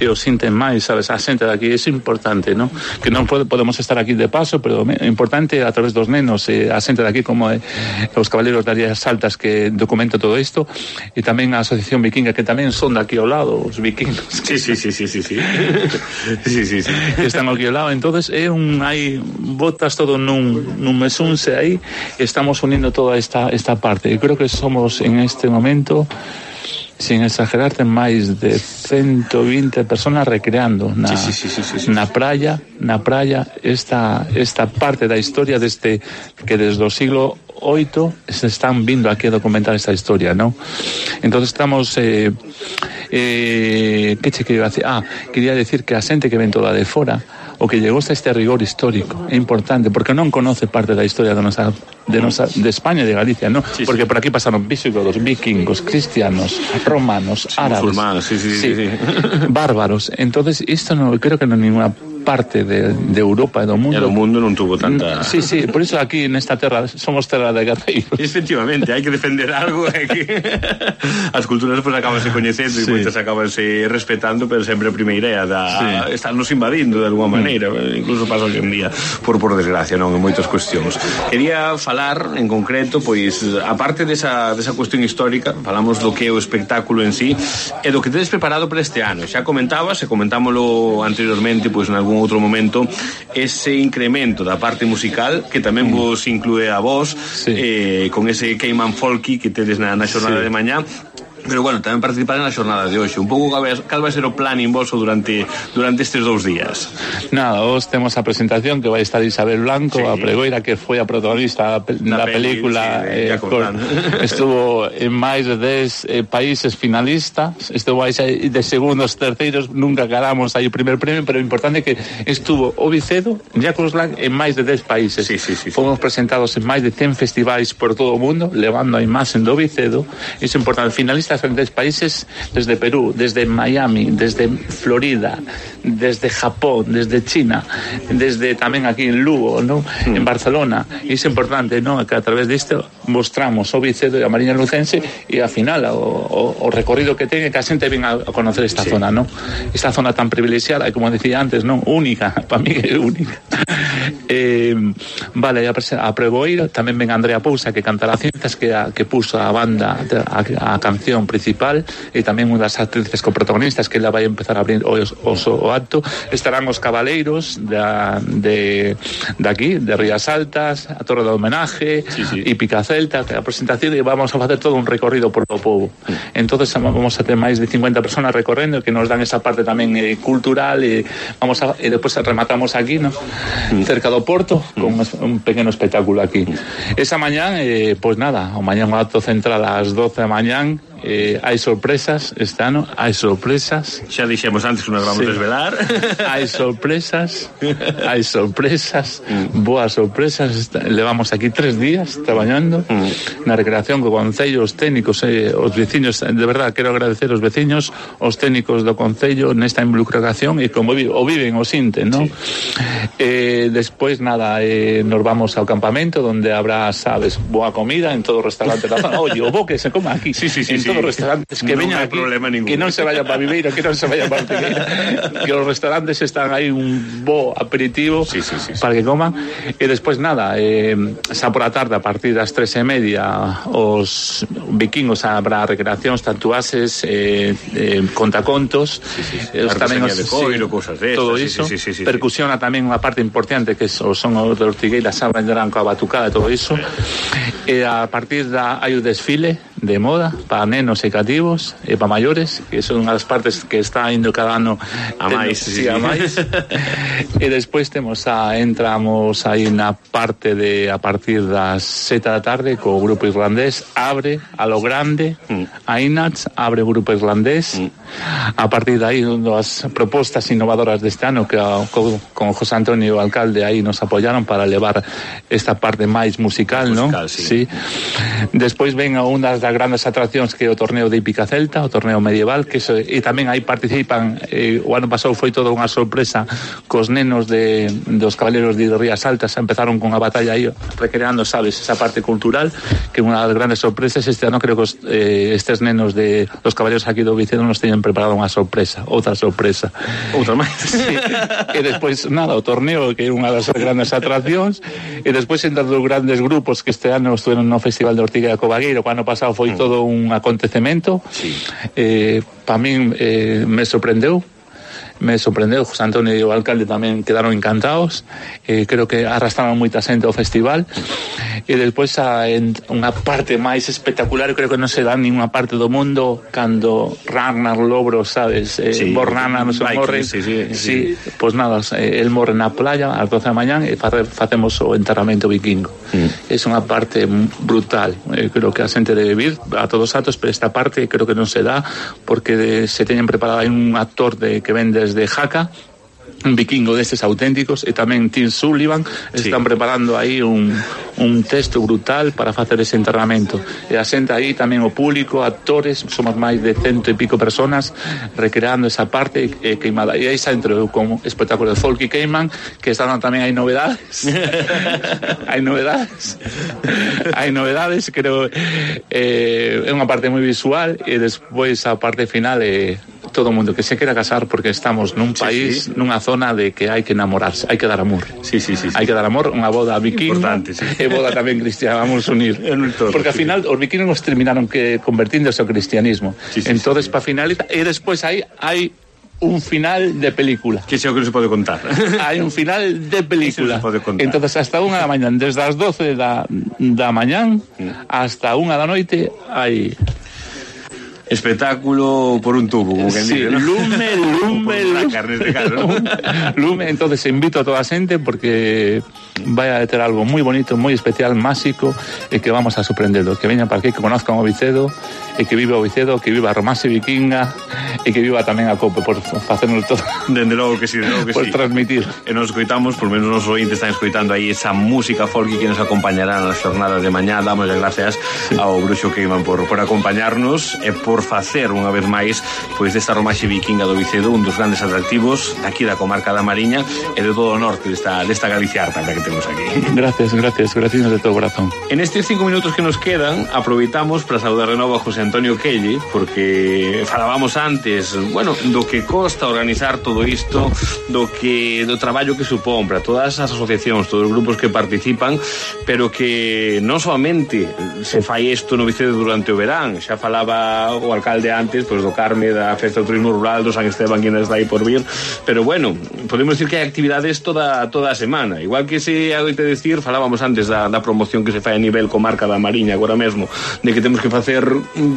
e os sinten máis, sabes, a xente de aquí. Iso é importante, non? Que non podemos estar aquí de paso, pero é importante a través dos nenos, a xente de aquí, como os cabaleiros de Rías Altas, que documenta todo isto, e tamén a Asociación Vikinga, que tamén son de aquí ao lado, os vikingos. Sí. Que están aquí ao lado. Entonces hai botas todo nun mesunse aí, e estamos unindo toda esta parte. E creo que somos en este momento, sin exagerarte, máis de 120 personas recreando na praia esta parte da historia que desde o siglo VIII se están vindo aquí a documentar esta historia, ¿no? Entonces estamos que che quería decir? Quería decir que a xente que ven toda de fora, o que llegou a este rigor histórico, é importante, porque non conoce parte da historia de España e de Galicia, ¿no? Porque por aquí pasaron visigodos, vikingos, cristianos, romanos, árabes, bárbaros. Entonces, isto non creo que non é ninguna parte de Europa e do mundo. E o mundo non tuvo tanta... Sí, por iso aquí nesta terra somos terra de guerreiros. Efectivamente, hai que defender algo, que as culturas pues acabanse coñecendo e moitas acabanse respetando, pero sempre a primeira idea estarnos invadindo de alguma maneira, incluso pasa hoxe en día por desgracia, non, en moitas cuestións. Quería falar en concreto, pois, aparte desa cuestión histórica, falamos do que é o espectáculo en sí e do que tedes preparado para este ano. Xa comentabas, e comentámoslo anteriormente, pois, en algún outro momento, ese incremento da parte musical que tamén vos inclúe a vos, con ese Queiman Folky que tedes na xornada de mañá. Pero bueno, tamén participar na xornada de hoxe. Un pouco cal vai ser o plan invoso durante estes 2 días? Nada, hoxe temos a presentación que vai estar Isabel Blanco, a pregoira que foi a protagonista da película, estuvo en máis de 10 países finalistas, estuvo aí de segundos, terceiros, nunca ganamos aí o primer premio, pero o importante é que estuvo o Vicedo, Jacobs Lang, en máis de 10 países. Fomos presentados en máis de 100 festivais por todo o mundo, levando a imaxen do Vicedo. Iso é importante. Finalistas diferentes países, desde Perú, desde Miami, desde Florida, desde Japón, desde China, desde tamén aquí en Lugo, ¿no? En Barcelona. E iso é importante, ¿no? Que a través disto mostramos o Vicedo e a Mariña Lucense e ao final o recorrido que ten, que a xente ven a conocer esta zona, ¿no? Esta zona tan privilexiada, como decía antes, ¿no? Única, para mí é única. Vale, a Preboeiro tamén ven Andrea Pousa, que cantará Cinzas, que puso a banda a canción principal, e tamén unha das actrices coprotagonistas que ela vai empezar a abrir o acto. Estarán os cabaleiros de aquí, de Rías Altas, a Torre do Homenaje e Picacelta, que a presentación, e vamos a facer todo un recorrido por o povo. Entonces vamos a ter máis de 50 personas recorrendo que nos dan esa parte tamén cultural, e despois rematamos aquí, ¿no? Cerca do Porto, con un pequeno espectáculo aquí. Esa mañán, pois nada, o mañán o acto central ás 12 da mañán. Hai sorpresas este ano, hai sorpresas. Xa dixemos antes que non vamos desvelar. Hai sorpresas, boas sorpresas. Levamos aquí 3 días traballando na recreación co Concello, os técnicos, os veciños. De verdad, quero agradecer aos veciños, os técnicos do Concello nesta involucración, e como o viven, o sinten, ¿no? Despois, nada, nos vamos ao campamento, onde habrá, sabes, boa comida en todo o restaurante da zona. Oye, o bo que se coma aquí. Sí. Todos os restaurantes que veñan aquí, que non se vaya para Viveiro, que non se vaya para Ortigueira, que os restaurantes están aí un bo aperitivo para que coman. E despois nada, xa por a tarde, a partir das 3:30, os vikingos habrá recreacións, tatuaxes, contacontos, tamén os coiro, cousas de todo iso. Percusiona tamén unha parte importante, que son os de Ortigueira, xa vendrán coa batucada e todo iso. E a partir hai o desfile de moda para nenos e cativos e para maiores, que son unhas partes que está indo cada ano a máis. A máis. E despois entramos aí na parte de a partir das 7 da tarde co grupo irlandés, abre a lo grande, a Inats, abre o grupo irlandés. A partir de aí, das propostas innovadoras deste ano, que con José Antonio, o alcalde, aí nos apoyaron para levar esta parte máis musical, ¿no? Sí. Despois ven a unha das grandes atraccións, que é o torneo de Hípica Celta, o torneo medieval, e tamén aí participan, o ano pasado foi toda unha sorpresa cos nenos dos cabaleiros de Rías Altas. Empezaron con a batalla aí, recreando, sabes, esa parte cultural, que é unha das grandes sorpresas. Este ano creo que estes nenos de los cabaleiros aquí do Vicedo nos teñen preparado unha sorpresa, outra máis. Sí. E despois, nada, o torneo, que é unha das grandes atraccións, e despois entre os grandes grupos que este ano estuveron no Festival de Ortigueira Cobagueiro, que o ano pasado foi todo un acontecemento. Para min me sorprendeu, José Antonio e o alcalde tamén quedaron encantados. Creo que arrastraron moita xente ao festival. E despois unha parte máis espectacular, creo que non se dá ninguna parte do mundo, cando Ragnar Lobro, sabes, Bornana non se morre. Pois nada, el morre na playa ás 12 da mañán e facemos o enterramento vikingo. É unha parte brutal. Creo que a xente debe vir a todos os atos, pero esta parte creo que non se dá, porque se teñen preparado un actor que ven desde Jaca, un vikingo destes auténticos, e tamén Tim Sullivan están preparando aí un texto brutal para facer ese enterramento. E a xente aí tamén, o público, actores, somos máis de 100 e pico personas recreando esa parte queimada. E aí xa entrou con espectáculo de folk e queiman, que están tamén hai novedades. hai novedades, creo. É unha parte moi visual, e despois a parte final todo o mundo que se quera casar, porque estamos nun país, nunha zona de que hai que enamorarse, hai que dar amor. Hai que dar amor, unha boda vikinga, e boda tamén cristiana, vamos unir. Porque ao final os vikingos terminaron convertíndose ao cristianismo. Entonces, para finalizar, e despois hai un final de película. Que xa o que non se pode contar. Hai un final de película. Entonces, hasta 1 da mañán, desde as 12 da mañán hasta 1 da noite, hai espectáculo por un tubo, como que dice, ¿no? Lume. Entonces invito a toda a xente, porque vai a ter algo moi bonito, moi especial, máxico, e que vamos a sorprenderlo. Que veñan para aquí, que conozcan o Vicedo, e que viva o Vicedo, que viva a Romance Vikinga, e que viva tamén a Cope, por facernos todo. Dende logo que sí, por transmitir. E nos escoitamos, por menos nos ointes están escoitando aí esa música folk que nos acompañará nas jornadas de mañá. Damos as gracias ao Bruxo Queiman por acompañarnos, e por por facer unha vez máis pois desta romaxe vikinga do Vicedo, un dos grandes atractivos aquí da comarca da Mariña e de todo o norte desta Galicia harta que temos aquí. Gracias de todo corazón. En estes 5 minutos que nos quedan, aproveitamos para saudar de novo a José Antonio Quelle, porque falábamos antes, bueno, do que costa organizar todo isto, do traballo que supón para todas as asociacións, todos os grupos que participan, pero que non solamente se fai isto no Vicedo durante o verán, xa falaba o alcalde antes pois do Carme, da Festa do Turismo Rural, do San Esteban, que ainda está aí por vir, pero bueno, podemos decir que hai actividades toda a semana, igual que se adoite decir, falábamos antes da promoción que se fai a nivel comarca da Mariña agora mesmo, de que temos que facer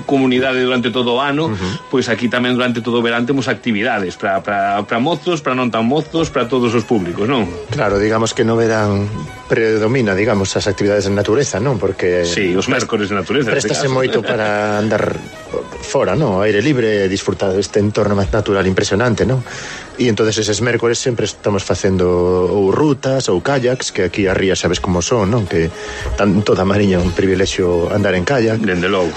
comunidade durante todo o ano, pois aquí tamén durante todo o verán temos actividades para mozos, para non tan mozos, para todos os públicos, non? Claro, digamos que no verán predomina, digamos, as actividades de natureza, non? Porque sí, os mércores de natureza. Préstase moito para andar fora, non? Aire libre, disfrutar deste entorno natural impresionante, non? E entonces eses mércores sempre estamos facendo ou rutas ou kayaks, que aquí a ría sabes como son, non? Que toda a Mariña é un privilexio andar en kayak. Dende logo.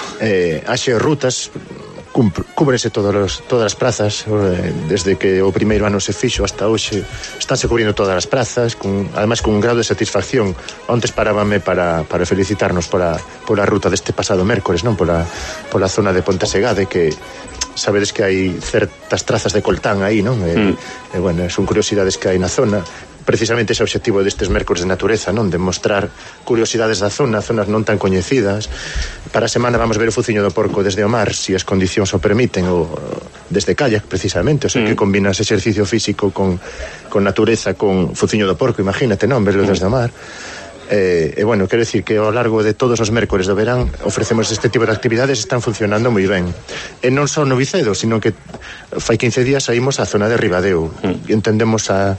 Haxe rutas, cúbrense todas as prazas, desde que o primeiro ano se fixo hasta hoxe estánse cubrindo todas as prazas, ademais con un grado de satisfacción. Antes parábame para felicitarnos pola ruta deste pasado mércores, non? Pola zona de Pontesegade, que sabedes que hai certas trazas de coltán aí, non? Bueno, son curiosidades que hai na zona. Precisamente ese obxectivo destes mércores de natureza, non? De mostrar curiosidades da zona, zonas non tan coñecidas. Para a semana vamos ver o Fuciño do Porco desde o mar, se as condicións o permiten, ou desde kayak, precisamente, o sea, que combinas exercicio físico con natureza, con Fuciño do Porco, imagínate, non? Verlo desde o mar. Bueno, quero decir que ao largo de todos os mércores do verán ofrecemos este tipo de actividades, están funcionando moi ben. E non só no Vicedo, sino que fai 15 días saímos á zona de Ribadeo e entendemos a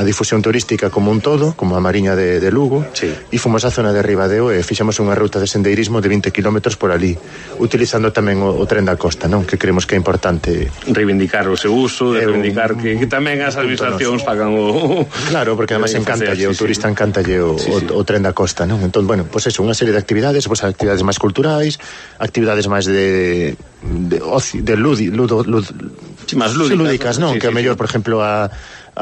difusión turística como un todo, como a Mariña de Lugo, e fomos á zona de Ribadeo e fixemos unha ruta de sendeirismo de 20 km por ali, utilizando tamén o tren da costa, non? Que creemos que é importante reivindicar o seu uso, reivindicar que tamén as administracións pagan o... Claro, porque además encantalle, o turista encantalle o tren da costa, non? Entón, bueno, pois eso, unha serie de actividades, pois actividades máis culturais, actividades máis de ocio, de lúdicas, non? Que a mellor, por exemplo, a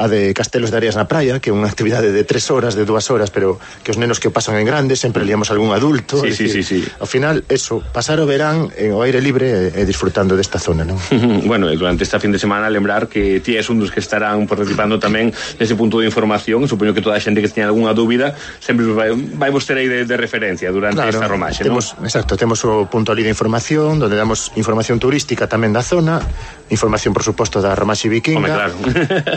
de Castelos de Areas na praia, que é unha actividade de 3 horas, de 2 horas, pero que os nenos que o pasan en grande sempre liamos algún adulto. Sí. Ao final, eso, pasar o verán ao aire libre e disfrutando desta zona, non? Bueno, durante esta fin de semana lembrar que ti és un dos que estarán participando tamén nese punto de información. Supoño que toda a xente que teña algunha dúbida sempre vai vos ter aí de referencia durante esta romaxe, non? Exacto, temos o punto ali de información, donde damos información turística tamén da zona, información, por suposto, da romaxe vikinga. Home, claro.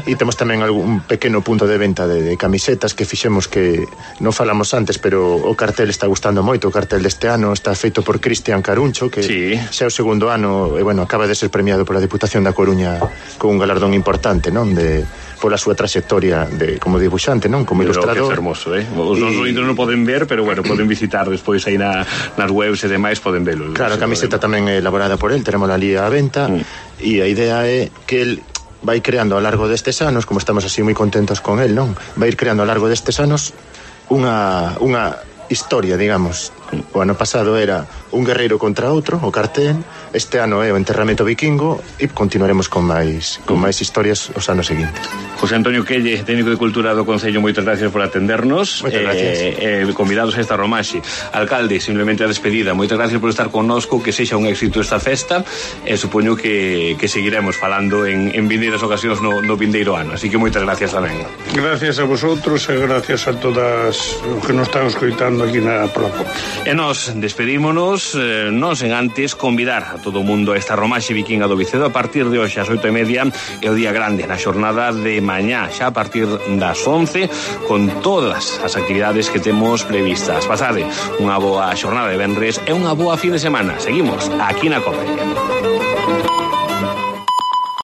E temos tamén algún pequeno punto de venta de camisetas que fixemos, que non falamos antes, pero o cartel está gustando moito. O cartel deste ano está feito por Cristian Caruncho, que xa é o segundo ano, e bueno, acaba de ser premiado pola Diputación da Coruña con un galardón importante, non? Pola súa trayectoria como dibuixante, non? Como ilustrador. Que é fermoso, Os nosos ointes non poden ver, pero bueno, poden visitar despois aí nas webs e demais, poden velo. Claro, a camiseta tamén é elaborada por él, terémola ali á venta, e a idea é que el vai creando ao largo destes anos, como estamos así moi contentos con él, non? Vai ir creando ao largo destes anos unha historia, digamos. O ano pasado era un guerreiro contra outro, o cartel. Este ano é o enterramento vikingo e continuaremos con máis historias os anos seguintes. José Antonio Quelle, técnico de Cultura do Concello, moitas gracias por atendernos. Moitas gracias. Convidados a esta romaxe. Alcalde, simplemente a despedida. Moitas gracias por estar connosco, que sexa un éxito esta festa, e supoño que seguiremos falando en vindeiras ocasións no vindeiro ano. Así que moitas gracias tamén. Gracias a vosotros e gracias a todas os que nos están escoitando aquí na Plapo. E nos despedímonos, non sen antes convidar a todo o mundo a esta romaxe vikinga do Vicedo a partir de hoxe ás 8:30, e o día grande na xornada de mañá, xa a partir das 11, con todas as actividades que temos previstas. Pasade unha boa xornada de venres e unha boa fin de semana. Seguimos aquí na COPE.